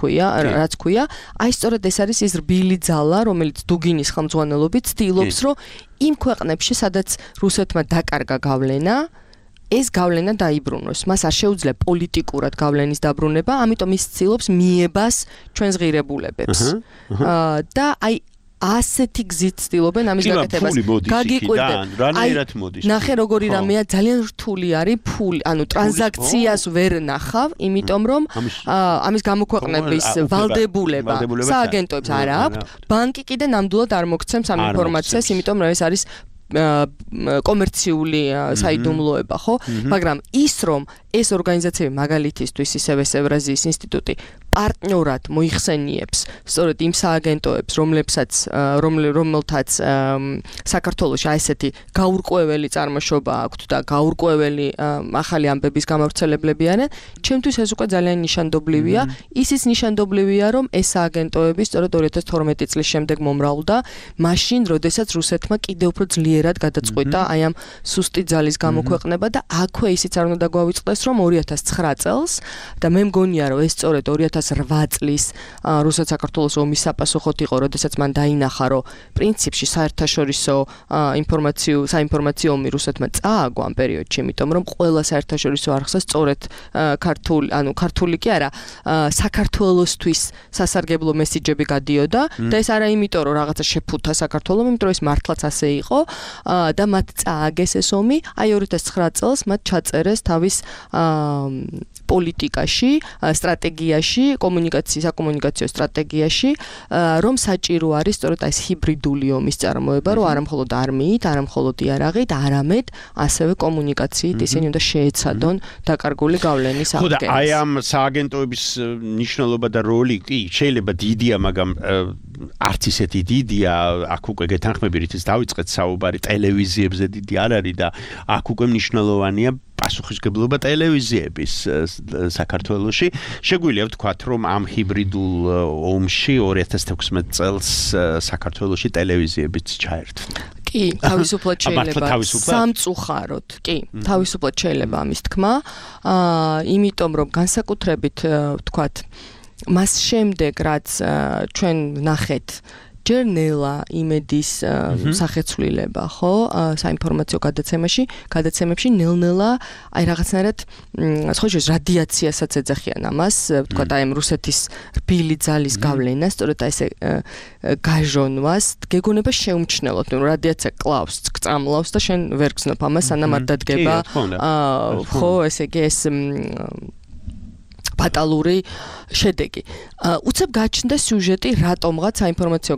ქვია, აი სწორედ ეს არის ის რბილი ძალა, რომელიც დუგინის ხელმძღვანელობით ცდილობს, რომ იმ ქვეყნებში, სადაც რუსეთმა დაკარგა გავლენა, ეს გავლენა დაიბრუნოს. მას არ შეუძლია პოლიტიკურად გავლენის დაბრუნება, ამიტომ ის ცდილობს მიებას ჩვენს ღირებულებებს. და აი ასეთი გზით ცდილობენ ამის გაკეთებას. გაგიკვირდეთ. რანაირად მოდის? ნახე როგორი რამეა, ძალიან რთული არის ფული, ანუ ტრანზაქციას ვერ ნახავ, იმიტომ რომ ამის გამოქვეყნების ვალდებულება სააგენტოებს არ აქვს. ბანკი კიდე ნამდვილად არ მოგცემს ამ ინფორმაციას, იმიტომ რომ ეს არის კომერციული საიდუმლოება, ხო? მაგრამ ის რომ ეს ორგანიზაციები მაგალითისთვის ისევ ევრაზიის ინსტიტუტი პარტნიორად მოიხსენიებს სწორედ იმ სააგენტოებს, რომელთაც საქართველოში ესეთი გაურკვეველი წარმოშობა აქვთ და გაურკვეველი ახალი ამბების გამავრცელებლები არიან, ჩემთვის ეს უკვე ძალიან ნიშანდობლივია. ისიც ნიშანდობლივია, რომ ეს სააგენტოები სწორედ 2012 წლის შემდეგ მომრავლდა, მაშინ, როდესაც რუსეთმა კიდევ უფრო ძლიერად გადაწყვიტა აი ამ სუსტი ძალის გამოქვეყნება და აქვე ისიც არ უნდა გვავიწყდეს, რომ 2009 წელს და მე მგონია, რომ ეს სწორედ 2008 წლის რუსეთ-საქართველოს ომის საპასუხოდ იყო, როდესაც მან დაინახა, რომ პრინციპში საერთაშორისო საინფორმაციო ომი რუსეთმა წააგო ამ პერიოდში, იმიტომ რომ ყველა საერთაშორისო არხზე სწორედ ქართული კი არა, საქართველოსთვის სასარგებლო მესიჯები გადიოდა და ეს არა იმიტომ, რომ რაღაცა შეფუთა საქართველოს, იმიტომ რომ ეს მართლაც ასე იყო და მათ წააგეს ეს ომი, აი 2009 წელს მათ ჩაწერეს თავის პოლიტიკაში, სტრატეგიაში, საკომუნიკაციო სტრატეგიაში, რომ საჭირო არის სწორედ ეს ჰიბრიდული ომის წარმოება, რომ არა მხოლოდ არმიით, არა მხოლოდ იარაღით, არამედ ასევე კომუნიკაციით ისინი უნდა შეეცადონ დაკარგული გავლენის აღდგენას. ხო და აი ამ სააგენტოების მნიშვნელობა და როლი კი შეიძლება დიდია, მაგრამ არც ისეთი დიდია, აქ უკვე გეთანხმები რითიც დავიწყეთ საუბარი, ტელევიზიებზე დიდი არ არის და აქ უკვე მნიშვნელოვანია პასუხისმგებლობა ტელევიზიების საქართველოში. შეგვიძლია ვთქვათ, რომ ამ ჰიბრიდულ ომში 2016 წელს საქართველოში ტელევიზიებიც ჩაერთვნა. კი, თავისუფლად შეიძლება სამწუხაროდ. კი, თავისუფლად შეიძლება ამის თქმა. იმიტომ რომ განსაკუთრებით ვთქვათ, მას შემდეგ რაც ჩვენ ვნახეთ ჯერ ნელა იმედის სახეცვლილება, ხო, საინფორმაციო გადაცემებში ნელ-ნელა აი რაღაცნაირად სხვა რადიაციასაც ეძახიან ამას, ვთქვათ, აი რუსეთის რბილი ძალის გავლენას, სწორედ აი ესე გაჟონვას, გეგონება შეუმჩნელოთ, რომ რადიაცია კლავს, წამლავს და შენ ვერ გზნობ ამას, სანამ არ დადგება, ხო, ესე იგი ეს ფატალური შედეგი. უცებ გაჩნდა სიუჟეტი რატომღაც საინფორმაციო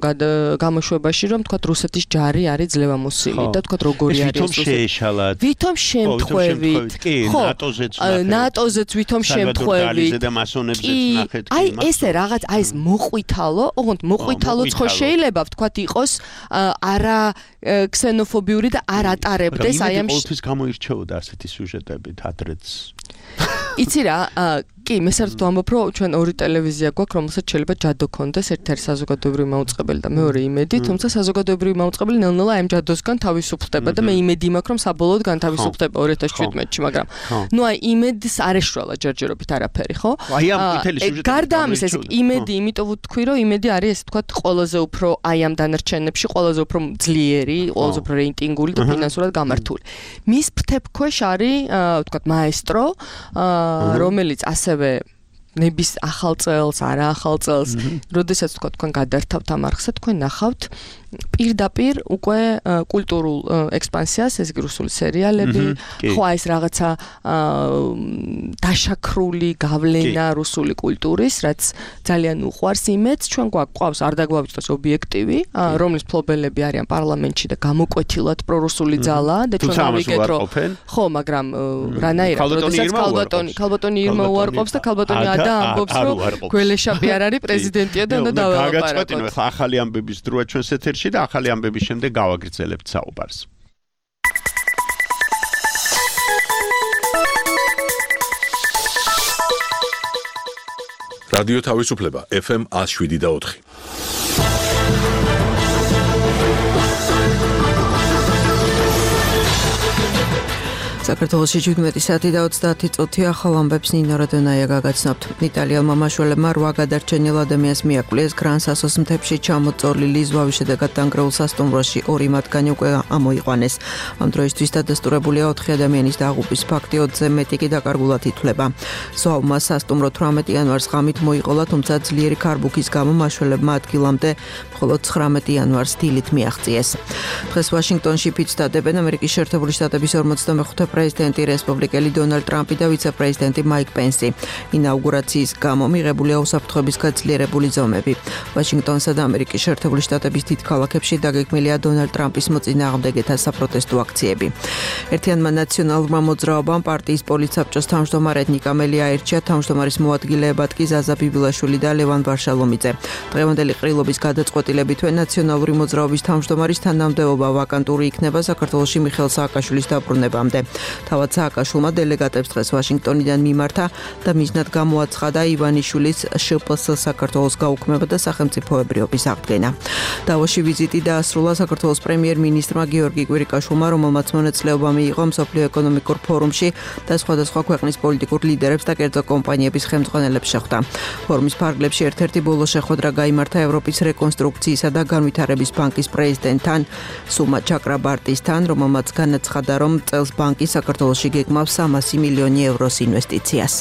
გამოშვებაში, რომ თქვათ რუსეთის ჯარი არის ძლევამოსილი და თქვათ როგორი არის რუსეთი. ვითომ შემთხვევით. ხო, ნატოზეც ვითომ შემთხვევით. აი ესე რაღაც, აი ეს მოყვითალო, ოღონდ მოყვითალოც ხო შეიძლება ვთქვათ იყოს არა ქსენოფობიური და არ ატარებდეს აი ამ ყოველთვის გამოირჩეოდა ასეთი სიუჟეტებით ადრეც. იცი რა, კი, მე საერთოდ ვამბობ, რომ ჩვენ ორი ტელევიზია გვაქვს, რომელსაც შეიძლება ჯადო ქონდეს, ერთი არის საზოგადოებრივი მაუწყებელი და მეორე იმედი, თუმცა საზოგადოებრივი მაუწყებელი ნელ-ნელა ამ ჯადოსგან თავისუფლდება და მე იმედი მაქვს, რომ საბოლოოდ განთავისუფლდება 2017-ში, მაგრამ ნუ აი იმედს არ ეშრვალა ჯერჯერობით არაფერი, ხო? აი ამ მთელი სიუჟეტი. გარდა ამისა, იმედი, იმიტომ ვთქვი, რომ იმედი არის ესე ვთქვათ, ყველაზე უფრო აი ამ დანარჩენებში ყველაზე უფრო ძლიერი, ყველაზე უფრო რეიტინგული და ფინანსურად გამართული. მის ფრთებქვეშ არის, ვთქვათ, მაესტრო, რომელიც ასევე ნების ახალ წელს, არა ახალ წელს, როდესაც თქვა თქვენ გადართავთ ამ არხსა, თქვენ ნახავთ პირდაპირ უკვე კულტურულ ექსპანსიას, ეს რუსული სერიალები, ხო ეს რაღაცა დაშაქრული გავლენა რუსული კულტურის, რაც ძალიან უყვარს იმედს, ჩვენ გვაქვს არ დაგვავიწყდეს ობიექტივი, რომლის ფლობელები არიან პარლამენტში და გამოკვეთილად პრორუსული ძალა და ჩვენ გავიგეთ რომ ხო, მაგრამ რანაირად როდესაც ქალბატონი ირმა უარყოფს და ქალბატონი ადა ამბობს რომ გველეშაპი არ არის პრეზიდენტია და უნდა დაველაპარაკოთ. ახალი ამბების დროა ჩვენს ეთერში და ახალი ამბების შემდეგ გავაგრძელებთ საუბარს. რადიო თავისუფლება FM 107.4. საქართველოში 17 საათი და 30 წუთი ახალ ამბებს ნინო რადონაია გაგაცნობთ. იტალიელმა მაშველებმა 8 გადარჩენილ ადამიანს მიაკვლიეს გრან-სასოს მთებში ჩამოწოლილი ზვავის შედეგად დანგრეულ სასტუმროში 2 მათგანი უკვე ამოიყვანეს. ამ დროისთვის დადასტურებულია 4 ადამიანის დაღუპვის ფაქტი, 20-ზე მეტი კი დაკარგულად ითვლება. ზვავმა სასტუმრო 18 იანვარს ღამით მოიყოლა, თუმცა ძლიერი ქარბუქის გამო მაშველებმა ადგილამდე მხოლოდ 19 იანვარს დილით მიაღწიეს. დღეს ვაშინგტონში ფიცდადებენ ამერიკის შეერთებული შტატების 45 პრეზიდენტი რესპუბლიკელი დონალდ ტრამპი და ვიცე-პრეზიდენტი მაიკ პენსი. ინაუგურაციის გამო მიღებულია უსაფრთხოების გაძლიერებული ზომები. ვაშინგტონსა და ამერიკის შეერთებული შტატების დიდ ქალაქებში დაგეგმილია დონალდ ტრამპის მოწინააღმდეგეთა საპროტესტო აქციები. ერთიანმა ნაციონალურმა მოძრაობამ პარტიის პოლიცსაბჭოს თავმჯდომარედ ნიკა მელი აირჩია, თავმჯდომარის მოადგილეებად კი ზაზა ბიბილაშვილი და ლევან ვარშალომიძე. დღევანდელი ყრილობის გადაწყვეტილებითვე ნაციონალური მოძრაობის თავმჯდომარის თანამდებობა ვაკანტური იქნება საქართველოში მიხეილ სააკაშვილის დაბრუნებამდე. თავად სააკაშვილმა დელეგატებს დღეს ვაშინგტონიდან მიმართა და მიზნად გამოაცხადა ივანიშვილის შპს საქართველოს გაუქმება და სახელმწიფოებრიობის აღდგენა. დავოში ვიზიტი დაასრულა საქართველოს პრემიერ-მინისტრმა გიორგი კვირიკაშვილმა, რომელმაც მონაწილეობა მიიღო მსოფლიო ეკონომიკურ ფორუმში და სხვადასხვა ქვეყნის პოლიტიკურ ლიდერებს და კერძო კომპანიების ხელმძღვანელებს შეხვდა. ფორუმის ფარგლებში ერთ-ერთი ბოლო შეხვედრა გაიმართა ევროპის რეკონსტრუქციისა და განვითარების ბანკის პრეზიდენტთან სუმა ჩაკრაბარტისთან, რომელმაც განაცხადა, რომ წელს ბანკი საქართველოში გეგმავს 300 მილიონი ევროს ინვესტიციას.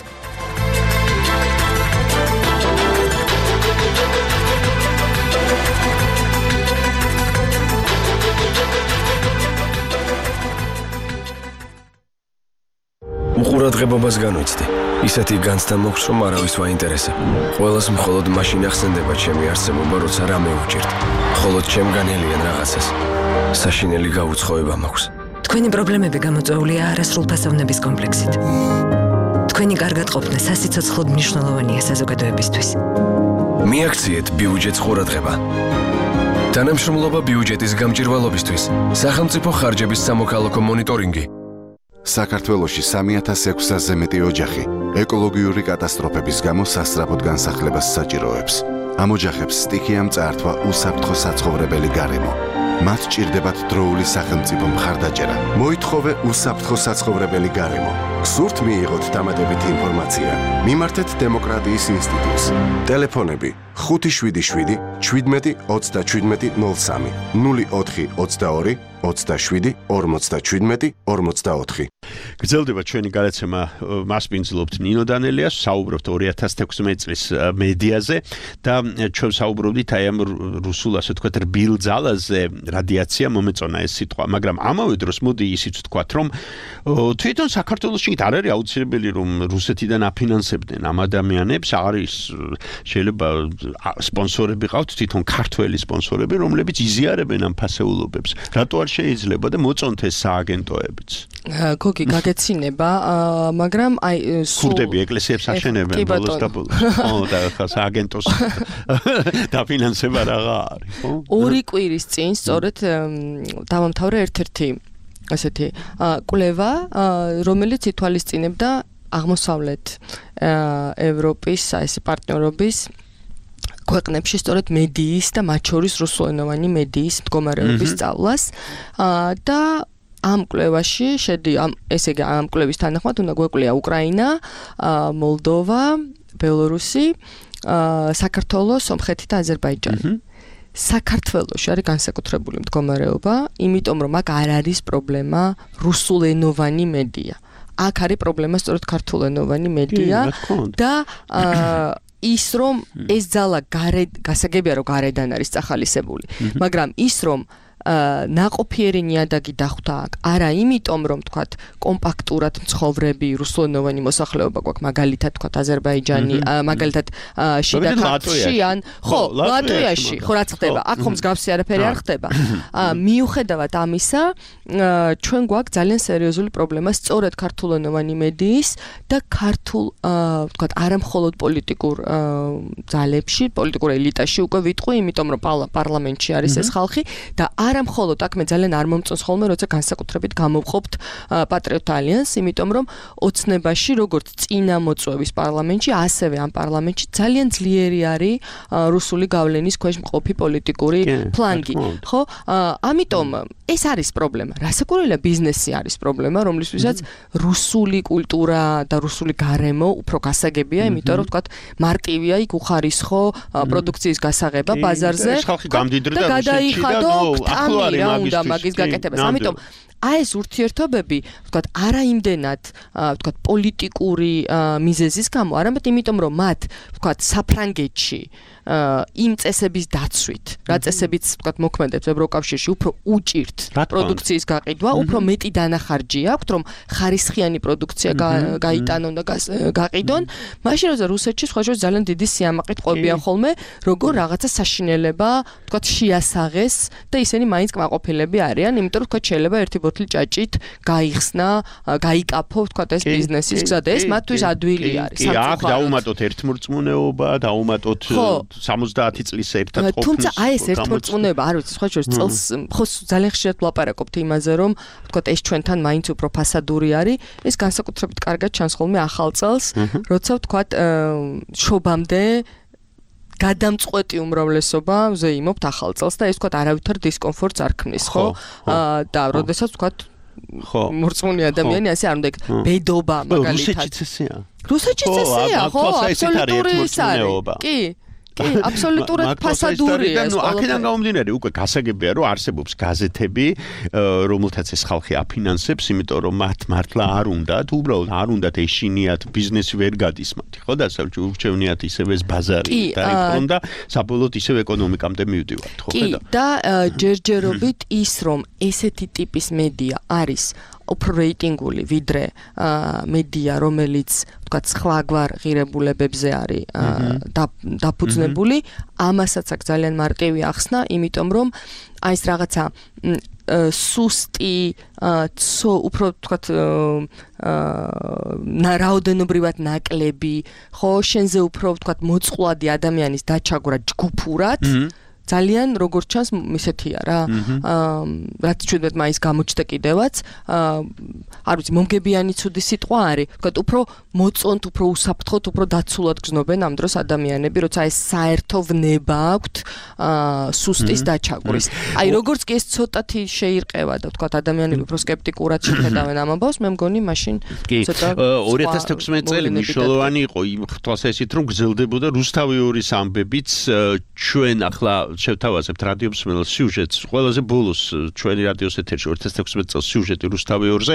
უყურადღებობას განვიცდი. ისეთი განცდა მოხს, რომ არავის ვაინტერესებ. ყველას მხოლოდ მაშინ ახსენდება ჩემი არსებობა, როცა რამე უჭირთ. მხოლოდ ჩემგანელიან რაღაცას. საშინელი გაუცხოება მაქვს. თქვენი პრობლემები გამოწვეულია არასრულფასოვნების კომპლექსით. თქვენი კარგად ყოფნა სასიცოცხლოდ მნიშვნელოვანია საზოგადოებისთვის. მიაქციეთ ბიუჯეტს ყურადღება. თანამშრომლობა ბიუჯეტის გამჭირვალობისთვის. სახელმწიფო ხარჯების სამოქალაქო მონიტორინგი. საქართველოში 3600-ზე მეტი ოჯახი ეკოლოგიური კატასტროფების გამო სასწრაფოდ განსახლებას საჭიროებს. ამ ოჯახებს სტიქიამ წაართვა უსაფრთხო საცხოვრებელი გარემო. მათ ჭირდებათ დროული სახელმწიფო მხარდაჭერა. მოითხოვე უსაფრთხო საცხოვრებელი გარემო. გსურთ მიიღოთ დამატებითი ინფორმაცია? მიმართეთ დემოკრატიის ინსტიტუტს. ტელეფონები 577 17 37 03 04 22 27 57 44. გრძელდება ჩვენი გადაცემა მასპინძლობთ ნინო დანელიას, საუბრობთ 2016 წლის მედიაზე და ჩვენ საუბრობდით აი ამ რუსულ ასე ვთქვათ რბილ ძალაზე, რადიაცია მომეწონა ეს სიტყვა, მაგრამ ამავე დროს მოდი ისიც ვთქვათ, რომ თვითონ საქართველოში არ არის აუცილებელი რომ რუსეთიდან აფინანსებდნენ ამ ადამიანებს, არის შეიძლება სპონსორები ყავთ, თვითონ ქართველი სპონსორები, რომლებიც იზიარებენ ამ ფასეულობებს. რატო არ შეიძლება და მოწონთ ეს სააგენტოებიც? გოგი გაგეცინება, მაგრამ აი ქურდები ეკლესიებს აშენებენ ბოლოს და ბოლოს. ხო, და ხა სააგენტოს დაფინანსება რაღა არის, ხო? 2 კვირის წინ სწორედ დავამთავრე ერთ-ერთი ასეთი კვლევა, რომელიც ითვალისწინებდა აღმოსავლეთ ევროპის ეს პარტნიორობის ქვეყნებში სწორედ მედიის და მათ შორის რუსულენოვანი მედიის მდგომარეობის სწავლას და ამ კვლევაში ესე იგი ამ კვლევის თანახმად უნდა გვეკვლია უკრაინა, მოლდოვა, ბელორუსი, საქართველო, სომხეთი და აზერბაიჯანი. საქართველოში არის განსაკუთრებული მდგომარეობა, იმიტომ რომ აქ არ არის პრობლემა რუსულენოვანი მედია. აქ არის პრობლემა სწორედ ქართულენოვანი მედია და ის რომ ეს ძალა გასაგებია რომ გარედან არის წახალისებული, მაგრამ ის რომ ნაყოფიერი ნიადაგი დახვდა აქ, არა იმიტომ რომ თქვათ კომპაქტურად მცხოვრები რუსულენოვანი მოსახლეობა გვაქვს, მაგალითად თქვათ აზერბაიჯანი, მაგალითად შიდა ქართლში ან ხო, ლატვიაში, ხო რაც ხდება, აქ ხომ მსგავსი არაფერი არ ხდება. მიუხედავად ამისა, ჩვენ გვაქვს ძალიან სერიოზული პრობლემა სწორედ ქართულენოვანი მედიის და ქართულ თქვათ არამხოლოდ პოლიტიკურ ძალებში, პოლიტიკურ ელიტაში უკვე ვიტყვი, იმიტომ რომ პარლამენტში არის ეს ხალხი და არა მხოლოდ აქ მე ძალიან არ მომწონს ხოლმე, როცა განსაკუთრებით გამოვყოფთ პატრიოტ ალიანსს, იმიტომ რომ ოცნებაში, როგორც წინა მოწვევის პარლამენტში, ასევე ამ პარლამენტში ძალიან ძლიერი არის რუსული გავლენის ქვეშ მყოფი პოლიტიკური ფლანგი, ხო? ამიტომ ეს არის პრობლემა. რასაკვირველია, ბიზნესი არის პრობლემა, რომლისთვისაც რუსული კულტურა და რუსული გარემო უფრო გასაგებია, იმიტომ რომ თქვათ მარტივია იქ უხარისხო პროდუქციის გასაღება ბაზარზე და გადაიხადო აქტამი რა უნდა მაგის გაკეთებას. ამიტომ აი ეს ურთიერთობები, ვთქვათ, არა იმდენად, ვთქვათ, პოლიტიკური მიზეზის გამო, არამედ იმიტომ, რომ მათ, ვთქვათ, საფრანგეთში იმ წესების დაცვით, რა წესებიც, ვთქვათ, მოქმედებს ევროკავშირში, უფრო უჭირთ პროდუქციის გაყიდვა, უფრო მეტი დანახარჯი აქვთ, რომ ხარისხიანი პროდუქცია გაიტანონ და გაყიდონ, მაშინ როცა რუსეთში სხვაშორის ძალიან დიდი სიამაყით ყვებიან ხოლმე, როგორ რაღაცა საშინელება, ვთქვათ, შეასაღეს და ისინი მაინც კმაყოფილები არიან, იმიტომ რომ ვთქვათ, შეიძლება ერთი ბოთლი ჭაჭით გაიხსნა, გაიკაფო, ვთქვათ, ეს ბიზნესის გზა და ეს მათთვის ადვილი არის. აქ დაუმატოთ ერთმორწმუნეობა, დაუმატოთ 70 წლის ერთად ყოფნის. თუმცა აი ეს ერთმორწმუნეობა, არ ვიცი, სხვა შორის წელს ხო ძალიან ხშირად ვლაპარაკობთ იმაზე, რომ ვთქვათ, ეს ჩვენთან მაინც უფრო ფასადური არის, ეს განსაკუთრებით კარგად ჩანს ხოლმე ახალ წელს, როცა ვთქვათ, შობამდე გადამწყვეტი უმრავლესობა ზეიმობთ ახალ წელს და ეს ვთქვათ არავითარ დისკომფორტს არ ქმნის, ხო? და როდესაც ვთქვათ, ხო, მორწმუნე ადამიანი ასე არ უნდა იქ ბედობა მაგალითად. რუსეთშიც ესეა. რუსეთშიც ესეა, ხო, აბსოლუტური ის არის. კი. კი, აბსოლუტურად ფასადურია ეს. აქედან გამომდინარე, უკვე გასაგებია, რომ არსებობს გაზეთები, რომელთაც ეს ხალხი აფინანსებს, იმიტომ რომ მათ მართლა არ უნდათ, უბრალოდ არ უნდათ ეშინიათ, ბიზნესი ვერ გადის მათი, ხო და ურჩევნიათ ისევ ეს ბაზარი დაიბრუნდა და საბოლოოდ ისევ ეკონომიკამდე მივდივართ, ხო ხედავ? კი, და ჯერჯერობით ის რომ ესეთი ტიპის მედია არის უფრო რეიტინგული ვიდრე მედია, რომელიც ვთქვათ სხვაგვარ ღირებულებებზე არის დაფუძნებული, ამასაც აქ ძალიან მარტივი ახსნა, იმიტომ რომ აი ეს რაღაცა სუსტი, უფრო ვთქვათ რაოდენობრივად ნაკლები, ხო, შენზე უფრო ვთქვათ მოწყვლადი ადამიანის დაჩაგვრა ჯგუფურად ძალიან როგორც ჩანს ისეთია რა. რაც ჩვენებთ მაინც გამოჩნდა კიდევაც, არ ვიცი, მომგებიანი ცუდი სიტყვა არის. ვთქვათ, უფრო მოწონთ, უფრო უსაფრთხოდ, უფრო დაცულად გრძნობენ ამ დროს ადამიანები, როცა ეს საერთო ვნება აქვთ სუსტის დაჩაგვრის. აი, როგორც კი ეს ცოტათი შეირყევა და ვთქვათ, ადამიანები უფრო სკეპტიკურად შეხედავენ ამ ამბავს, მე მგონი მაშინ ცოტა 2016 წელი მნიშვნელოვანი იყო იმ თვალსაზრისით, რომ გრძელდებოდა რუსთავიორის ამბებიც ჩვენ ახლა შევთავაზებთ რადიო მსმენელს სიუჟეტს, ყველაზე ბოლოს ჩვენი რადიოს ეთერში 2016 წელს სიუჟეტი რუსთავიორზე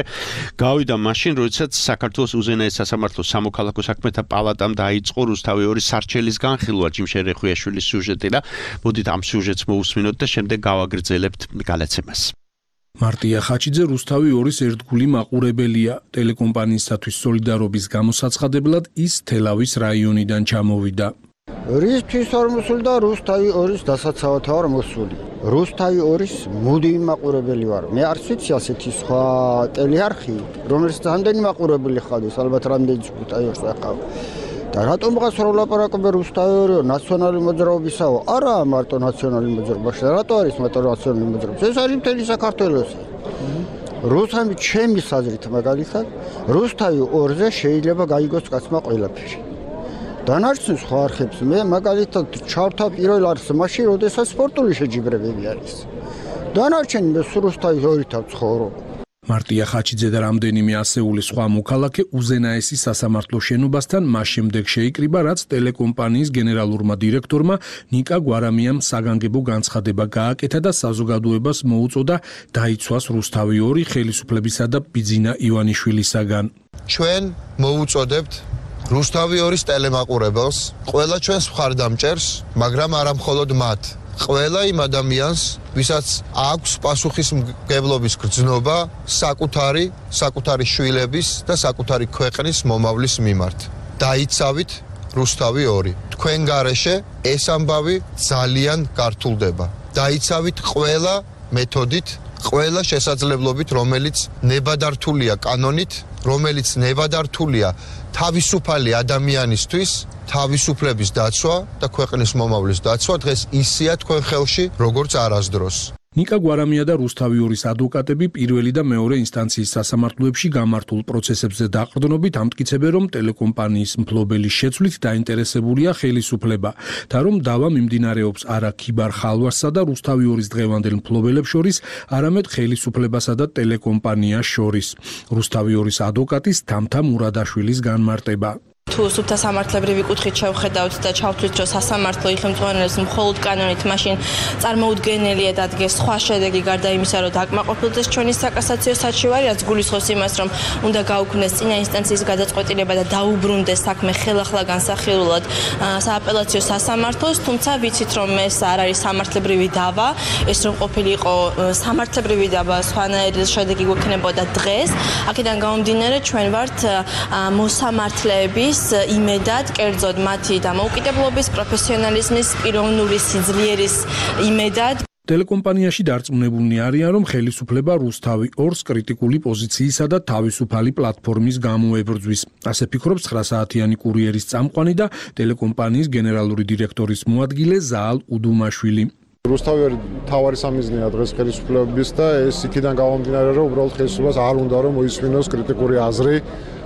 გავიდა მაშინ, როდესაც საქართველოს უზენაეს სასამართლოს სამოქალაქო საქმეთა პალატამ დაიწყო რუსთავიორის სარჩელის განხილვა ჯიმშენ რეხვიაშვილის სიუჟეტი და მოდით ამ სიუჟეტს მოусმინოთ და შემდეგ გავაგრძელებთ გადაცემას. მარტია ხაჩიძე რუსთავიორის ერთგული მაყურებელია. ტელეკომპანიისათვის სოლიდარობის გამოსაცხადებლად ის თელავის რაიონიდან ჩამოვიდა. რისთვის არ მოსულდა რუსთავიორის დასაცავად ვარ მოსული. რუსთავიორის მუდმივი მაყურებელი ვარ. მე არც ვიცი ასეთი სხვა ტელეარხი, რომელიც რამდენი მაყურებელი ხარდეს, ალბათ რამდენი რუსთავიორს ახავ. და რატომღაც რო ლაპარაკობენ რუსთავიორი ნაციონალური მოძრაობისაო? არა, მარტო ნაციონალური მოძრაობაში. რატო არის მარტო ნაციონალური მოძრაობა? ეს არის მთელი საქართველოს. რუსთავი ჩემი საზრით მაგალითად, რუსთავიორზე შეიძლება გაიგოს კაცმა ყველაფერი. დანარჩენ სხვა არხებს მე მაგალითად ჩავთავ პირველ არხს მაშინ, როდესაც სპორტული შეჯიბრებები არის. დანარჩენი მე რუსთავიორითა ვცხოვრობ. მარტია ხაჩიძე და რამდენიმე ასეული სხვა მოქალაქე უზენაესის სასამართლო შენობასთან მას შემდეგ შეიკრიბა, რაც ტელეკომპანიის გენერალურმა დირექტორმა ნიკა გვარამიამ საგანგებო განცხადება გააკეთა და საზოგადოებას მოუწოდა დაიცვას რუსთავიორი ხელისუფლებისა და ბიძინა ივანიშვილისაგან. ჩვენ მოუწოდებთ რუსთავი 2-ის ტელემაყურებელს, ყველა ჩვენს მხარდამჭერს, მაგრამ არა მხოლოდ მათ. ყველა იმ ადამიანს, ვისაც აქვს პასუხისმგებლობის გრძნობა საკუთარი შვილების და საკუთარი ქვეყნის მომავლის მიმართ. დაიცავით რუსთავი 2. თქვენ გარეშე ეს ამბავი ძალიან გართულდება. დაიცავით ყველა მეთოდით, ყველა შესაძლებლობით, რომელიც ნებადართულია კანონით, რომელიც ნებადართულია თავისუფალი ადამიანისთვის, თავისუფლების დაცვა და ქვეყნის მომავლის დაცვა დღეს ისეა თქვენ ხელში, როგორც არასდროს. ნიკა გვარამია და რუსთავი 2-ის ადვოკატები პირველი და მეორე ინსტანციის სასამართლოებში გამართულ პროცესებზე დაყრდნობით ამტკიცებენ, რომ ტელეკომპანიის მფლობელის შეცვლით დაინტერესებულია ხელისუფლება და რომ დავა მიმდინარეობს არა ქიბარ ხალვასსა და რუსთავი 2-ის დღევანდელ მფლობელებს შორის, არამედ ხელისუფლებასა და ტელეკომპანიას შორის. რუსთავი 2-ის ადვოკატის თამთა მურადაშვილის განმარტება. თუ სუფთა სამართლებრივი კუთხით შევხედავთ და ჩავთვლით, რომ სასამართლო იხელმძღვანელებს მხოლოდ კანონით, მაშინ წარმოუდგენელია დადგეს სხვა შედეგი გარდა იმისა, რომ დაკმაყოფილდეს ჩვენი საკასაციო საჩივარი, რაც გულისხმობს იმას, რომ უნდა გაუქმდეს წინა ინსტანციის გადაწყვეტილება და დაუბრუნდეს საქმე ხელახლა განსახილულად სააპელაციო სასამართლოს, თუმცა ვიცით, რომ ეს არ არის სამართლებრივი დავა, ეს რომ ყოფილიყო სამართლებრივი დავა, სხვანაირი შედეგი გვექნებოდა დღეს. აქედან გამომდინარე, ჩვენ ვართ მოსამართლეების იმედად, კერძოდ მათი დამოუკიდებლობის, პროფესიონალიზმის, პიროვნული სიძლიერის იმედად. ტელეკომპანიაში დარწმუნებულნი არიან, რომ ხელისუფლება რუსთავი 2-ს კრიტიკული პოზიციისა და თავისუფალი პლატფორმის გამო ებრძვის. ასე ფიქრობს 9 საათიანი კურიერის წამყვანი და ტელეკომპანიის გენერალური დირექტორის მოადგილე ზაალ უდუმაშვილი. რუსთავი თავარი სამიზნეა დღეს ხელისუფლების და ეს იქიდან გამომდინარე, რომ უბრალოდ ხელისუფლებას არ უნდა რომ მოისმინოს კრიტიკული აზრი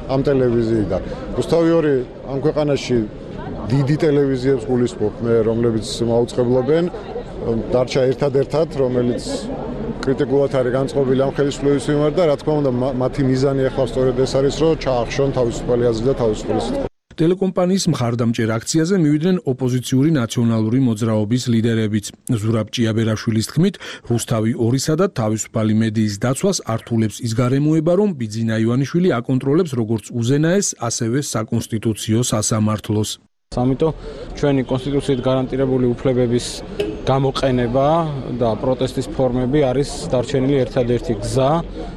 ამ ტელევიზიიდან. რუსთავი 2 ამ ქვეყანაში დიდი ტელევიზიებს გულისხმობ მე, რომლებიც მაუწყებლობენ, დარჩა ერთადერთად, რომელიც კრიტიკულად არის განწყობილი ამ ხელისუფლების მიმართ და რა თქმა უნდა მათი მიზანი ახლა სწორედ ეს არის, რომ ჩაახშონ თავისუფალი აზრი და თავისუფალი სიტყვა. ტელეკომპანიის მხარდამჭერ აქციაზე მივიდნენ ოპოზიციური ნაციონალური მოძრაობის ლიდერებიც. ზურაბ ჭიაბერაშვილის თქმით, რუსთავი 2-სა და თავისუფალი მედიის დაცვას ართულებს ის გარემოება, რომ ბიძინა ივანიშვილი აკონტროლებს როგორც უზენაეს, ასევე საკონსტიტუციო სასამართლოს. ამიტომ ჩვენი კონსტიტუციით გარანტირებული უფლებების გამოყენება და პროტესტის ფორმები არის დარჩენილი ერთადერთი გზა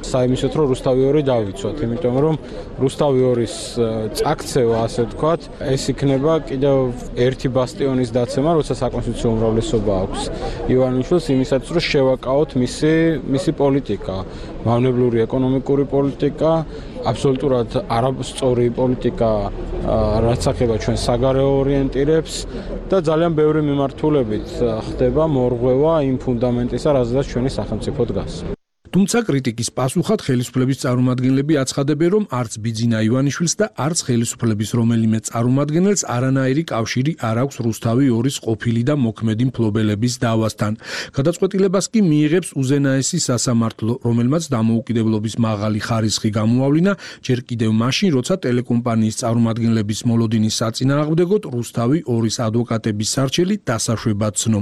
საიმისოთ, რომ რუსთავი 2 დავიცვათ, იმიტომ რომ რუსთავი 2-ის წაქცევა, ასე ვთქვათ, ეს იქნება კიდევ ერთი ბასტიონის დაცემა, როცა საკონსტიტუციო უმრავლესობა აქვს ივანიშვილს იმისათვის, რომ შევაკავოთ მისი პოლიტიკა, მავნებლური ეკონომიკური პოლიტიკა, აბსოლუტურად არასწორი პოლიტიკა, რაც ახება ჩვენ საგარეო ორიენტირებს და ძალიან ბევრი მიმართულებით ხდება მორღვევა იმ ფუნდამენტისა, რაზეც ჩვენი სახელმწიფო დგას. თუმცა კრიტიკის პასუხად ხელისუფლების წარმომადგენლები აცხადებენ, რომ არც ბიძინა ივანიშვილს და არც ხელისუფლების რომელიმე წარმომადგენელს არანაირი კავშირი არ აქვს რუსთავი 2-ის ყოფილი და მოქმედი მფლობელების დავასთან. გადაწყვეტილებას კი მიიღებს უზენაესი სასამართლო, რომელმაც დამოუკიდებლობის მაღალი ხარისხი გამოავლინა ჯერ კიდევ მაშინ, როცა ტელეკომპანიის წარმომადგენლების მოლოდინის საწინააღმდეგოდ რუსთავი 2-ის ადვოკატების სარჩელი დასაშვებად ცნო.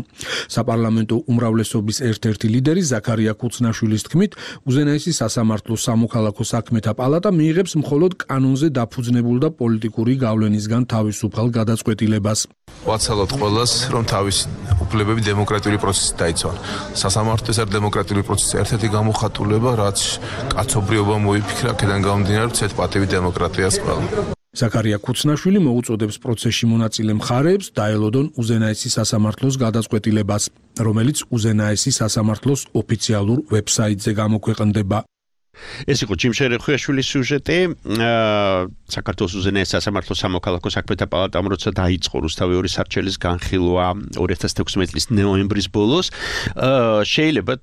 საპარლამენტო უმრავლესობის ერთ-ერთი ლიდერი ზაქარია ქუცნაშვილის თქმით, უზენაესი სასამართლოს სამოქალაქო საქმეთა პალატა მიიღებს მხოლოდ კანონზე დაფუძნებულ და პოლიტიკური გავლენისგან თავისუფალ გადაწყვეტილებას. ვაცალოთ ყველას, რომ თავისი უფლებები დემოკრატიული პროცესით დაიცვან. სასამართლოს არ დემოკრატიული პროცესის ერთ-ერთი გამოხატულება, რაც კაცობრიობა მოიფიქრა, აქედან გამომდინარე, ცეთ პატივი დემოკრატიას ყველა. ზაქარია ქუცნაშვილი მოუწოდებს პროცესში მონაწილე მხარეებს დაელოდონ უზენაესი სასამართლოს გადაწყვეტილებას, რომელიც უზენაესი სასამართლოს ოფიციალურ ვებსაიტზე გამოქვეყნდება. ეს იყო ჯიმშე რეხუიაშვილის სიუჟეტი. საქართველოს უზენაეს სასამართლოს სამოქალაქო საქმეთა პალატამ როცა დაიწყო რუსთავი 2-ის სარჩელის განხილვა 2016 წლის ნოემბრის ბოლოს, შეიძლება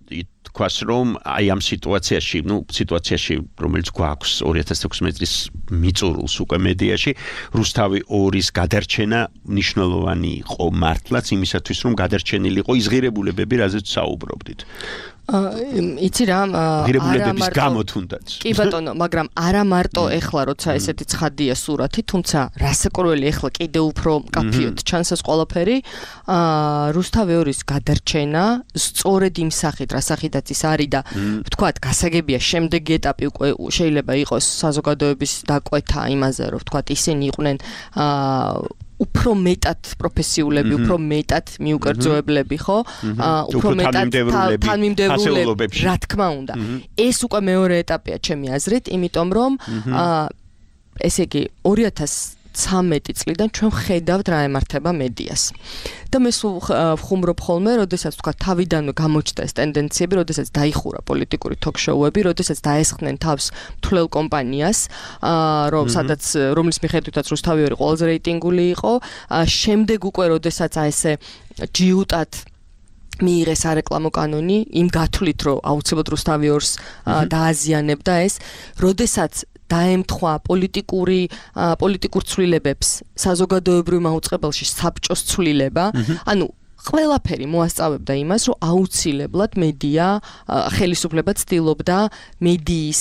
თქვას, რომ აი ამ სიტუაციაში, რომელიც გვაქვს 2016 წლის მიწურულს უკვე მედიაში, რუსთავი 2-ის გადარჩენა მნიშვნელოვანი იყო მართლაც იმისათვის, რომ გადარჩენილიყო ის ღირებულებები, რაზეც საუბრობდით. იცი რა ღირებულებების გამო თუნდაც. კი ბატონო, მაგრამ არა მარტო ეხლა როცა ესეთი ცხადია სურათი, თუმცა რასაკვირველი ეხლა კიდე უფრო კაფიოდ ჩანს ეს ყველაფერი. რუსთავი ორის გადარჩენა სწორედ იმ სახით, რა სახითაც ის არის და ვთქვათ, გასაგებია შემდეგი ეტაპი უკვე შეიძლება იყოს საზოგადოების დაკვეთა იმაზე, რომ ვთქვათ, ისინი იყვნენ უფრო მეტად პროფესიულები, უფრო მეტად მიუკერძოებლები, ხო? უფრო მეტად თანმიმდევრულები, რა თქმა უნდა. ეს უკვე მეორე ეტაპია ჩემი აზრით, იმიტომ რომ ესე იგი 2013 წლიდან ჩვენ ხედავთ რა ემართება მედიას. და მე სულ ვხუმრობ ხოლმე, როდესაც თქვა თავიდანვე გამოჩნდა ეს ტენდენციები, როდესაც დაიხურა პოლიტიკური თოქ-შოუები, როდესაც დაესხნენ თავს მთლელ კომპანიას, რომლის მიხედვითაც რუსთავი ორი ყველაზე რეიტინგული იყო, შემდეგ უკვე როდესაც ესე ჯიუტად მიიღესარეკლამო კანონი, იმ გათვლით, რომ აუცილებლად რუსთავი ორს დააზიანებდა ეს, როდესაც დაემთხვა პოლიტიკურ ცვლილებებს საზოგადოებრივ მაუწყებელში საბჭოს ცვლილება, ანუ ყველაფერი მოასწავებდა იმას, რომ აუცილებლად მედია ხელისუფლება ცდილობდა მედიის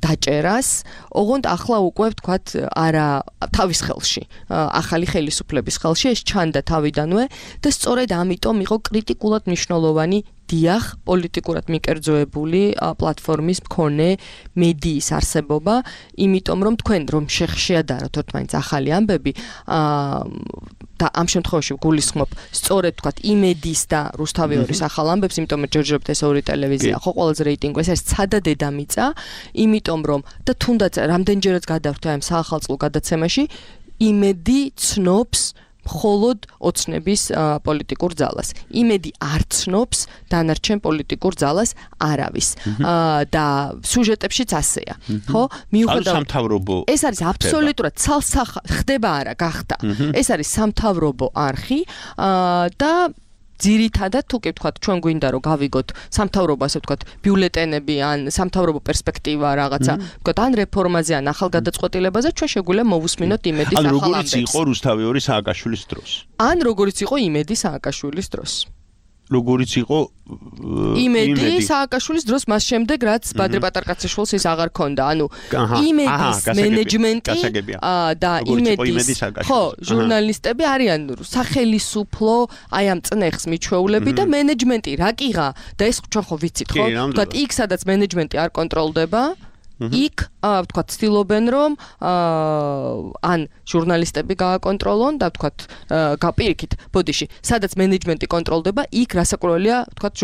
დაჭერას, ოღონდ ახლა უკვე ვთქვათ, არა თავის ხელში, ახალი ხელისუფლების ხელში ეს ჩანდა თავიდანვე და სწორედ ამიტომ იყო კრიტიკულად მნიშვნელოვანი დიახ, პოლიტიკურად მიკერძოებული პლატფორმის მქონე მედიის არსებობა, იმიტომ რომ თქვენ რომ შეადაროთ თორემ ახალი ამბები და ამ შემთხვევაში გულისხმობ სწორედ თქვათ იმედის და რუსთავი ორის ახალ ამბებს, იმიტომ რომ ჯერჯერობით ეს ორი ტელევიზია ხო ყველაზე რეიტინგი ეს არის ცადა დედამიწა, იმიტომ რომ და თუნდაც რამდენჯერაც გადავხვდე ამ საახალწლო გადაცემაში, იმედი ცნობს მხოლოდ ოცნების პოლიტიკურ ძალას. იმედი არ ცნობს დანარჩენ პოლიტიკურ ძალას არავის. და სიუჟეტებშიც ასეა. ხო? მიუხედავად ეს არის აბსოლუტურად ხდება არა, გახდა. ეს არის სამთავრობო არხი და ძირითადად თუ კი ვთქვათ, ჩვენ გვინდა რომ გავიგოთ სამთავრობო, ასე ვთქვათ, ბიულეტენები ან სამთავრობო პერსპექტივა რაღაცა, ვთქვათ, ან რეფორმაზე, ან ახალ გადაწყვეტილებაზე, ჩვენ შეგვიძლია მოვუსმინოთ იმედის ახალ ამბებს. ან როგორიც იყო რუსთავი ორი სააკაშვილის დროს. ან როგორიც იყო იმედი სააკაშვილის დროს. როგორიც იყო იმედი სააკაშვილის დროს მას შემდეგ რაც ბადრე პატარკაციშვილს ის აღარ ქონდა. ანუ იმედის მენეჯმენტი და იმედის ხო, ჟურნალისტები არიან სახელისუფლო აი ამ წნეხს მიჩვეულები და მენეჯმენტი რა კიღა და ეს ჩვენ ხო ვიცით ხო? თქვათ იქ სადაც მენეჯმენტი არ კონტროლდება იქ ვთქვათ ცდილობენ რომ ან ჟურნალისტები გააკონტროლონ და ვთქვათ გაპირიქით ბოდიში სადაც მენეჯმენტი კონტროლდება იქ რასაკვირველია ვთქვათ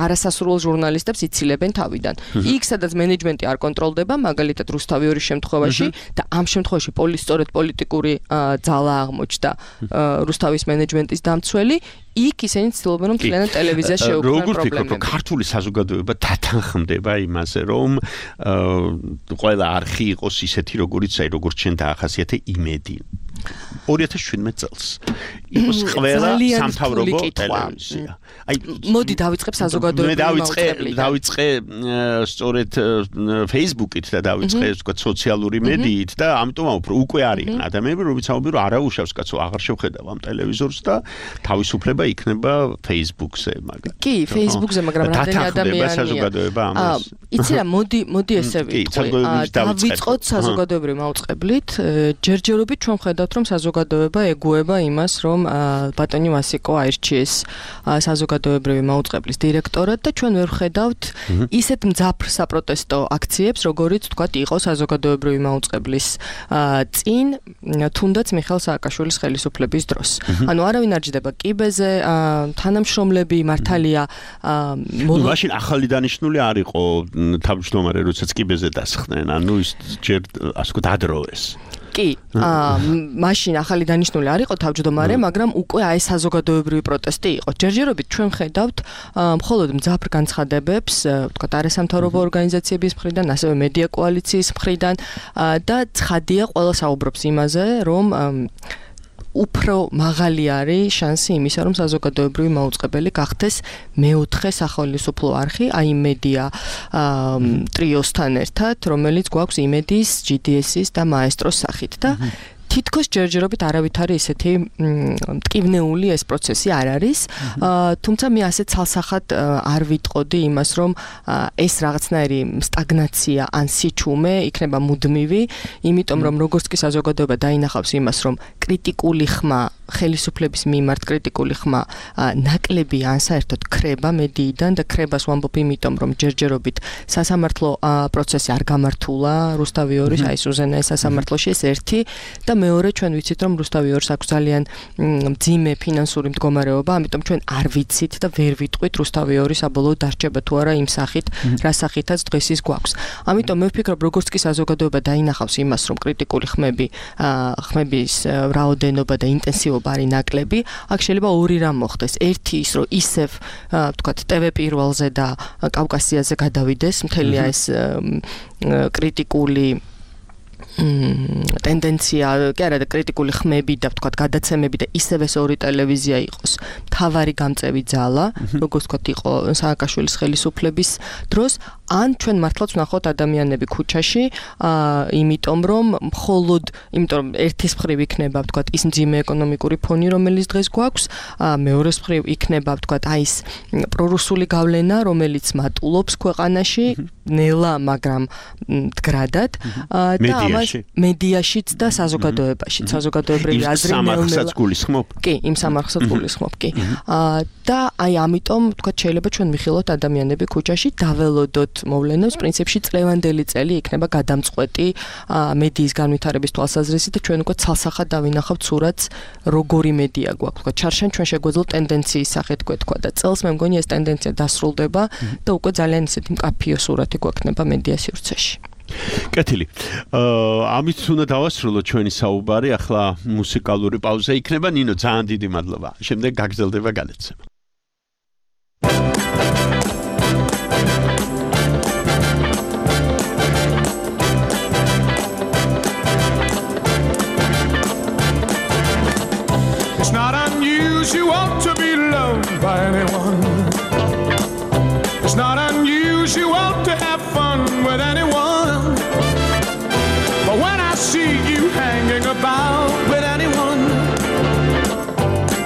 არასასურველ ჟურნალისტებს იცილებენ თავიდან იქ სადაც მენეჯმენტი არ კონტროლდება მაგალითად რუსთავი ორის შემთხვევაში და ამ შემთხვევაში სწორედ პოლიტიკური ძალა აღმოჩნდა რუსთავის მენეჯმენტის დამცველი იქ ისინი ცდილობენ რომ მთლიანად ტელევიზიას შეუქმნან პრობლემები. როგორ ვფიქრობ, რომ ქართული საზოგადოება დათანხმდება იმაზე, რომ ყველა არხი იყოს ისეთი, როგორიც როგორც ჩვენ დაახასიათე იმედი. 2017 წელს იყოს ყველა სამთავრობო ტელევიზია. აი მოდი დავიწყებ საზოგადოებრივი მაუწყებლიდან. დავიწყე სწორედ Facebook-ით და დავიწყე ვთქვათ სოციალური მედიით და ამიტომ უკვე არიან ადამიანები, რომლებიც ამბობენ, რომ არაუშავს კაცო აღარ შევხედავ ამ ტელევიზორს და თავისუფლება იქნება Facebook-ზე, მაგრამ კი, Facebook-ზე, მაგრამ რამდენი ადამიანია საზოგადოება ამას. იცი რა, მოდი ესე ვიტყვი. დავიწყოთ საზოგადოებრივი მაუწყებლით, ჯერჯერობით ჩვენ ხედავთ რომ საზოგადოება ეგუება იმას, რომ ბატონი მასიკო აირჩიეს საზოგადოებრივი მაუწყებლის დირექტორად და ჩვენ ვერ ხედავთ ისეთ მძაფრ საპროტესტო აქციებს, როგორიც ვთქვათ იყო საზოგადოებრივი მაუწყებლის წინ, თუნდაც მიხეილ სააკაშვილის ხელისუფლების დროს. ანუ არავინ არ ჯდება კიბეზე, თანამშრომლები მართალია მაშინ ახალი დანიშნული არ იყო თავმჯდომარე, როდესაც კიბეზე დასხდნენ, ანუ ის ჯერ ასე ვთქვათ ადროვეს. კი, მაშინ ახალი დანიშნული არ იყო თავმჯდომარე, მაგრამ უკვე აი საზოგადოებრივი პროტესტი იყო. ჯერჯერობით ჩვენ ხედავთ მხოლოდ მძაფრ განცხადებებს, ვთქვათ, არასამთავრობო ორგანიზაციების მხრიდან, ასევე მედია კოალიციის მხრიდან და ცხადია, ყველა საუბრობს იმაზე, რომ უფრო მაღალი არის შანსი იმისა, რომ საზოგადოებრივი მაუწყებელი გახდეს მეოთხე სახელმწიფო არხი, აი მედია ტრიოსთან ერთად, რომელიც გვაქვს იმედის, GDS-ის და მაესტროს სახით და თითქოს ჯერჯერობით არავითარი ისეთი მტკივნეული ეს პროცესი არ არის. თუმცა მე ასე ცალსახად არ ვიტყოდი იმას, რომ ეს რაღაცნაირი სტაგნაცია ან სიჩუმე იქნება მუდმივი, იმიტომ რომ როგორც კი საზოგადოება დაინახავს იმას, რომ კრიტიკული ხმა ხელისუფლების მიმართ კრიტიკული ხმა ნაკლები ან საერთოდ ქრება მედიიდან და ქრებას ვამბობ იმიტომ რომ ჯერჯერობით სასამართლო პროცესი არ გამართულა რუსთავი ორის აი სუზენაის სასამართლოში ეს ერთი და მეორე ჩვენ ვიცით რომ რუსთავი ორს აქვს ძალიან მძიმე ფინანსური მდგომარეობა ამიტომ ჩვენ არ ვიცით და ვერ ვიტყვით რუსთავი ორის საბოლოო დარჩება თუ არა იმ სახით რა სახითაც დღეს ის გვაქვს ამიტომ მე ვფიქრობ როგორც კი საზოგადოება დაინახავს იმას რომ კრიტიკული ხმების რაოდენობა და ინტენსივობა არის ნაკლები, აქ შეიძლება ორი რამ მოხდეს. ერთი ის, რომ ისევ, ვთქვათ, TV პირველზე და კავკასიაზე გადავიდეს, მთელი ეს კრიტიკული ტენდენცია, კი არა და კრიტიკული ხმები და ვთქვათ, გადაცემები და ისევ ეს ორი ტელევიზია იყოს. მთავარი გამწევი ძალა, როგორც ვთქვათ, იყო სააკაშვილის ხელისუფლების დროს, ან ჩვენ მართლაც ვნახოთ ადამიანები ქუჩაში, იმიტომ რომ ერთის მხრივ იქნება, ვთქვათ, ის მძიმე ეკონომიკური ფონი, რომელიც დღეს გვაქვს, მეორეს მხრივ იქნება, ვთქვათ, აი ეს პრორუსული გავლენა, რომელიც მატულობს ქვეყანაში, ნელა, მაგრამ მდგრადად და ამას მედიაშიც და საზოგადოებაშიც, საზოგადოებრივი აზრი სამარხსაც გულისხმობ? კი, იმ სამარხსაც გულისხმობ, კი. და აი ამიტომ, ვთქვათ, შეიძლება ჩვენ მიხილოთ ადამიანები ქუჩაში, დაველოდოთ მოვლენებს, პრინციპში წლევანდელი წელი იქნება გადამწყვეტი მედიის განვითარების თვალსაზრისით და ჩვენ უკვე ცალსახად დავინახავთ სურათს, როგორი მედია გვაქვს. ვთქვათ, ჩარშან ჩვენ შეგვეძლო ტენდენციის სახით გვეთქვა და წელს მე მგონი ეს ტენდენცია დასრულდება და უკვე ძალიან ისეთი მკაფიო სურათი გვექნება მედია სივრცეში. კეთილი. ამით უნდა დავასრულოთ ჩვენი საუბარი, ახლა მუსიკალური პაუზა იქნება. ნინო, ძალიან დიდი მადლობა. შემდეგ გაგრძელდება განაცემა. It's not unusual to be loved by anyone. It's not unusual to have fun with anyone. But when I see you hanging about with anyone,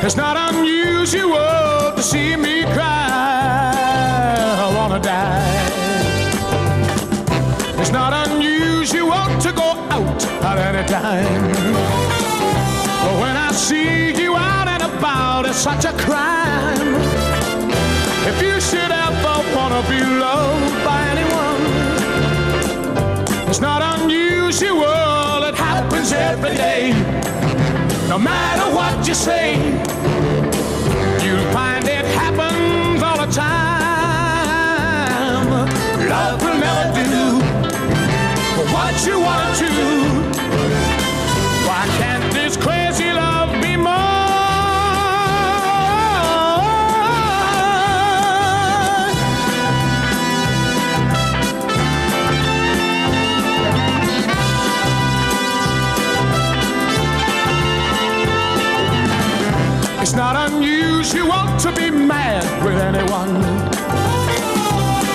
it's not unusual to see me cry. I wanna die. It's not unusual to go out at any time. But when I see you out and about, it's such a crime. If you should ever wanna be loved by anyone, it's not unusual, it happens every day. No matter what you say, you'll find it happens all the time. Love will never do what you want to. Why can't this crazy love be more? It's not unusual to be mad with anyone.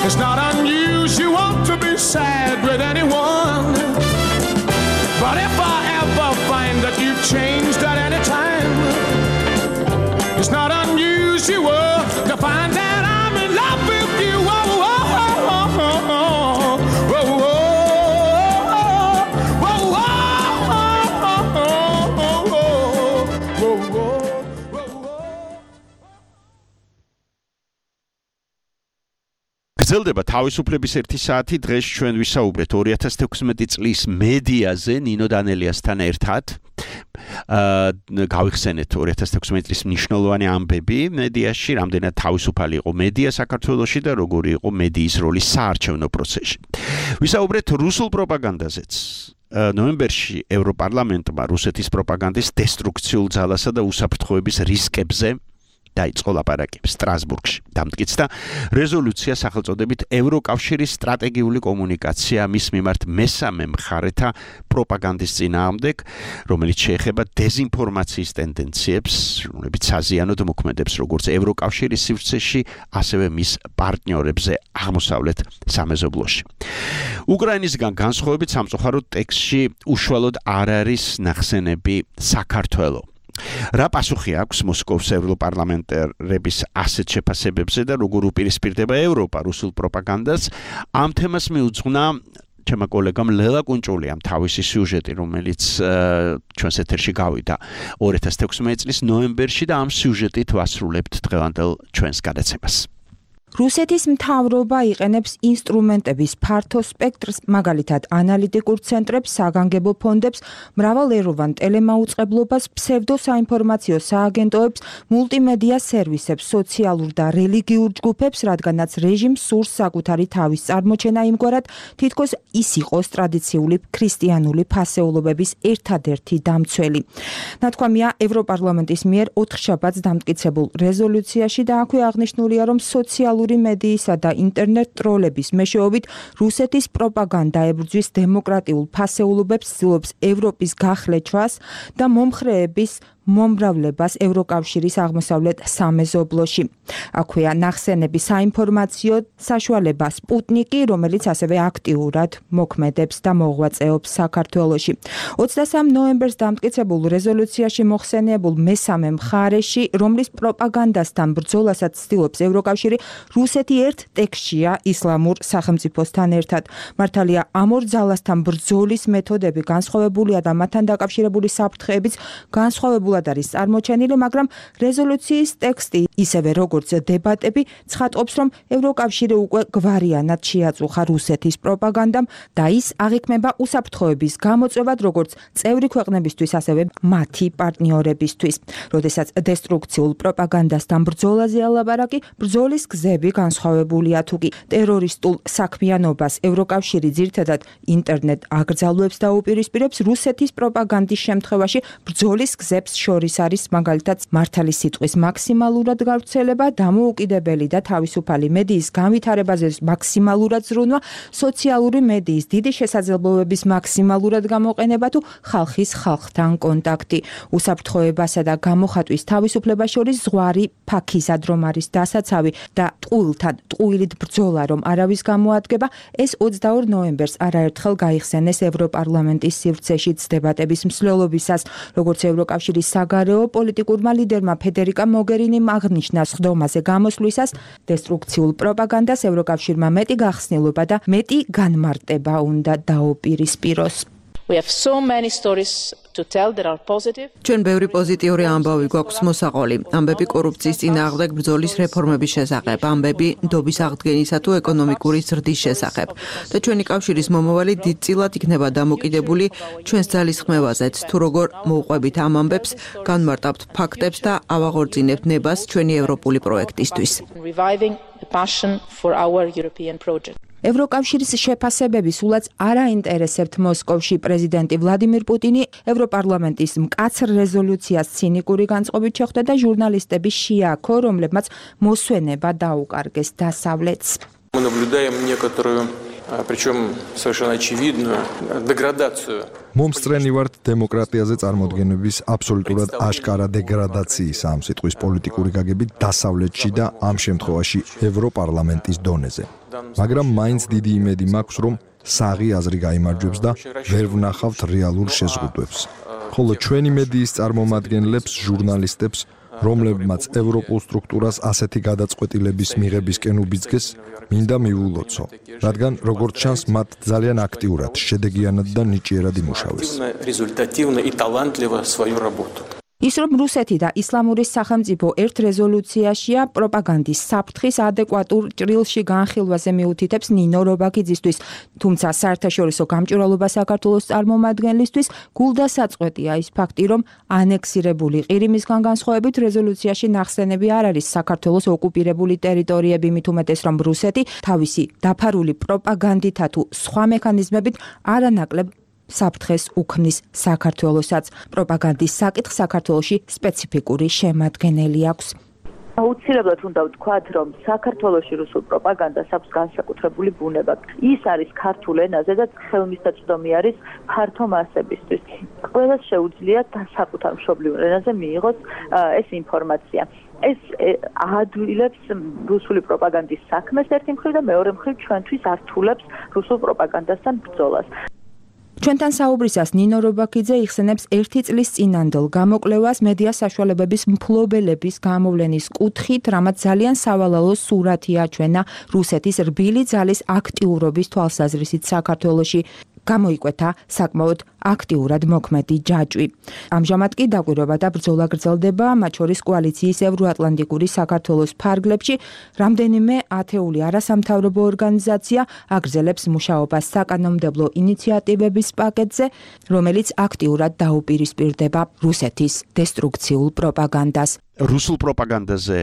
It's not unusual to be sad with anyone. But if I ever find that you've changed at any time, it's not unusual to find that I'm in love with you. Oh, oh, oh, oh, oh, oh, oh, გრძელდება თავისუფლების 1 საათი. დღეს ჩვენ ვისაუბრეთ 2016 წლის მედიაზე ნინო დანელიასთან ერთად. გავიხსენეთ 2016 წლის მნიშვნელოვანი ამბები მედიაში, რამდენად თავისუფალი იყო მედია საქართველოში და როგორი იყო მედიის როლი საარჩევნო პროცესში. ვისაუბრეთ რუსულ პროპაგანდაზეც. ნოემბერში ევროპარლამენტმა რუსეთის პროპაგანდის დესტრუქციულ ძალასა და უსაფრთხოების რისკებზე დაიწყო ლაპარაკი სტრასბურგში. დამტკიცდა რეზოლუცია სახელწოდებით ევროკავშირის სტრატეგიული კომუნიკაცია მის მიმართ მესამე მხარეთა პროპაგანდის წინააღმდეგ, რომელიც შეეხება დეზინფორმაციის ტენდენციებს, რომლებიც საზიანოდ მოქმედებს როგორც ევროკავშირის სივრცეში, ასევე მის პარტნიორებზე აღმოსავლეთ სამეზობლოში. უკრაინისგან განსხვავებით სამწუხაროდ ტექსტში უშუალოდ არ არის ნახსენები საქართველოს. რა პასუხი აქვს მოსკოვის ევროპარლამენტარების ასეთ შეფასებებზე და როგორ უპირისპირდება ევროპა რუსულ პროპაგანდას? ამ თემას მიუძღვნა ჩემო კოლეგამ ლელა კუნჭულიამ თავისი სიუჟეტი, რომელიც ჩვენს ეთერში გავიდა 2016 წლის ნოემბერში და ამ სიუჟეტით ვასრულებთ დღევანდელ ჩვენს გადაცემას. რუსეთის მთავრობა იყენებს ინსტრუმენტების ფართო სპექტრს, მაგალითად ანალიტიკურ ცენტრებს, საგანგებო ფონდებს, მრავალეროვან ტელემაუწყებლობას, ფსევდოსაინფორმაციო სააგენტოებს, მულტიმედია სერვისებს, სოციალურ და რელიგიურ ჯგუფებს, რადგანაც რეჟიმს სურს საკუთარი თავის წარმოჩენა იმგვარად, თითქოს ის იყოს ტრადიციული ქრისტიანული ფასეულობების ერთადერთი დამცველი. ნათქვამია ევროპარლამენტის მიერ 4 შაბათს დამტკიცებულ რეზოლუციაში და აქვე აღნიშნულია, რომ სოციალურ მედიისა და ინტერნეტ ტროლების მეშვეობით რუსეთის პროპაგანდა ებრძვის დემოკრატიულ ფასეულობებს, ცდილობს ევროპის გახლეჩვას და მომხრეების მომრავლებას ევროკავშირის აღმოსავლეთ სამეზობლოში. აქვეა ნახსენები საინფორმაციო საშუალება სპუტნიკი, რომელიც ასევე აქტიურად მოქმედებს და მოღვაწეობს საქართველოში. 23 ნოემბერს დამტკიცებულ რეზოლუციაში მოხსენიებულ მესამე მხარეში, რომლის პროპაგანდასთან ბრძოლასაც ცდილობს ევროკავშირი, რუსეთი ერთ ტექსტშია ისლამურ სახელმწიფოსთან ერთად. მართალია ამ ორ ძალასთან ბრძოლის მეთოდები განსხვავებულია და მათთან დაკავშირებული საფრთხეებიც განსხვავებულად არის წარმოჩენილი, მაგრამ რეზოლუციის ტექსტი, ისევე როგორც დებატები, ცხადყოფს, რომ ევროკავშირი უკვე გვარიანად შეაწუხა რუსეთის პროპაგანდამ და ის აღიქმება უსაფრთხოების გამოწვევად როგორც წევრი ქვეყნებისთვის, ასევე მათი პარტნიორებისთვის. როდესაც დესტრუქციულ პროპაგანდასთან ბრძოლაზეა ლაპარაკი, ბრძოლის გზები განსხვავებულია თუკი ტერორისტულ საქმიანობას ევროკავშირი ძირითადად ინტერნეტ აკრძალვებს და უპირისპირებს, რუსეთის პროპაგანდის შემთხვევაში ბრძოლის გზებს შორის არის მაგალითად მართალი სიტყვის მაქსიმალურად გავრცელება, დამოუკიდებელი და თავისუფალი მედიის განვითარებაზე მაქსიმალურად ზრუნვა, სოციალური მედიის დიდი შესაძლებლობების მაქსიმალურად გამოყენება თუ ხალხის ხალხთან კონტაქტი. უსაფრთხოებასა და გამოხატვის თავისუფლებას შორის ზღვარი ფაქიზად რომ არის დასაცავი და ტყუილთან ტყუილით ბრძოლა რომ არავის გამოადგება, ეს 22 ნოემბერს არაერთხელ გაიხსენეს ევროპარლამენტის სივრცეშიც დებატების მსვლელობისას, როგორც ევროკავშირის საგარეო პოლიტიკურმა ლიდერმა ფედერიკა მოგერინიმ აღნიშნა სხდომაზე გამოსვლისას, დესტრუქციულ პროპაგანდას ევროკავშირმა მეტი გახსნილობა და მეტი განმარტება უნდა დაუპირისპიროს. We have so many stories to tell that are positive. ჩვენ ბევრი პოზიტიური ამბავი გვაქვს მოსაყოლი. ამბები კორუფციის წინააღმდეგ ბრძოლის რეფორმების შესახებ, ამბები ნდობის აღდგენისა თუ ეკონომიკური ზრდის შესახებ. და ჩვენი კავშირის მომავალი დიდწილად იქნება დამოკიდებული ჩვენს ძალისხმევაზეც, თუ როგორ მოუყვებით ამ ამბებს, განმარტავთ ფაქტებს და ავაღორძინებთ ნებას ჩვენი ევროპული პროექტისთვის. Reviving the passion for our European project. ევროკავშირის შეფასებები სულაც არ აინტერესებთ მოსკოვში პრეზიდენტი ვლადიმირ პუტინი ევროპარლამენტის მკაცრ რეზოლუციას ცინიკური განწყობით შეხვდა და ჟურნალისტები შეაქო, რომლებმაც მოსვენება დაუკარგეს დასავლეთს. Мы наблюдаем некоторую, причем совершенно очевидную деградацию. მომსწრენი ვართ დემოკრატიაზე წარმოდგენების აბსოლუტურად აშკარა დეგრადაციის ამ სიტყვის პოლიტიკური გაგებით დასავლეთში და ამ შემთხვევაში ევროპარლამენტის დონეზე. მაგრამ მაინც დიდი იმედი მაქვს, რომ საღი აზრი გაიმარჯვებს და ვერ ვნახავთ რეალურ შეზღუდვებს. ხოლო ჩვენი მედიის წარმომადგენლებს, ჟურნალისტებს, რომლებმაც ევროპულ სტრუქტურას ასეთი გადაწყვეტილების მიღებისკენ უბიძგეს, მინდა მივულოცო, რადგან როგორც ჩანს, მათ ძალიან აქტიურად, შედეგიანად და ნიჭიერად იმუშავეს. Результативно и талантливо свою работу. ის რომ რუსეთი და ისლამური სახელმწიფო ერთ რეზოლუციაშია პროპაგანდის საფრთხის ადეკვატურ ჭრილში განხილვაზე მიუთითებს ნინო რობაქიძისთვის, თუმცა საერთაშორისო გამჭვირვალობა საქართველოს წარმომადგენლისთვის გულდასაწყვეტია ის ფაქტი, რომ ანექსირებული ყირიმისგან განსხვავებით რეზოლუციაში ნახსენები არ არის საქართველოს ოკუპირებული ტერიტორიები, მით უმეტეს რომ რუსეთი თავისი დაფარული პროპაგანდითა თუ სხვა მექანიზმებით არანაკლებ საფრთხეს უქმნის საქართველოსაც. პროპაგანდის საკითხ საქართველოში სპეციფიკური შემადგენელი აქვს. აუცილებლად უნდა ვთქვათ, რომ საქართველოში რუსულ პროპაგანდას აქვს განსაკუთრებული ბუნება. ის არის ქართულ ენაზე და ხელმისაწვდომი არის ფართო მასებისთვის. ყველას შეუძლია საკუთარ მშობლიურ ენაზე მიიღოს ეს ინფორმაცია. ეს აადვილებს რუსული პროპაგანდის საქმეს ერთი მხრივ და მეორე მხრივ ჩვენთვის ართულებს რუსულ პროპაგანდასთან ბრძოლას. ჩვენთან საუბრისას ნინო რობაქიძე იხსენებს 1 წლის წინანდელ გამოკვლევას მედია საშუალებების მფლობელების გამოვლენის კუთხით, რამაც ძალიან სავალალო სურათი აჩვენა რუსეთის რბილი ძალის აქტიურობის თვალსაზრისით საქართველოში. გამოიკვეთა საკმაოდ აქტიურად მოქმედი ჯაჭვი. ამჟამად კი დაკვირვება და ბრძოლა გრძელდება, მათ შორის კოალიციის ევროატლანტიკური საქართველოს ფარგლებში. რამდენიმე ათეული არასამთავრობო ორგანიზაცია აგრძელებს მუშაობას საკანონმდებლო ინიციატივების პაკეტზე, რომელიც აქტიურად დაუპირისპირდება რუსეთის დესტრუქციულ პროპაგანდას. რუსულ პროპაგანდაზე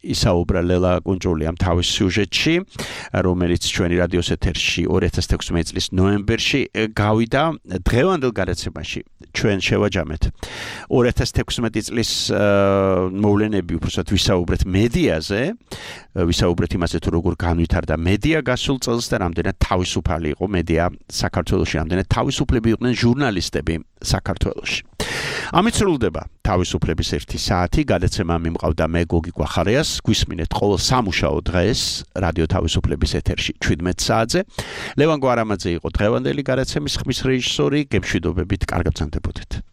ისაუბრა ლელა კუნჭულიამ თავის სიუჟეტში, რომელიც ჩვენი რადიოს ეთერში 2016 წლის ნოემბერში გავიდა. დღევანდელ გადაცემაში ჩვენ შევაჯამეთ 2016 წლის მოვლენები, უბრალოდ ვისაუბრეთ მედიაზე, ვისაუბრეთ იმაზე, თუ როგორ განვითარდა მედია გასულ წელს და რამდენად თავისუფალი იყო მედია საქართველოში, რამდენად თავისუფლები იყვნენ ჟურნალისტები საქართველოში. ამით სრულდება თავისუფლების 1 საათი. გადაცემა მიმყავდა მე გოგი კვახარიას. გვისმინეთ ყოველ სამუშაო დღეს რადიო თავისუფლების ეთერში 17 საათზე. ლევან გვარამაძე იყო დღევანდელი გადაცემის ხმის რეჟისორი. გემშვიდობებით, კარგად გრძანდებოდეთ.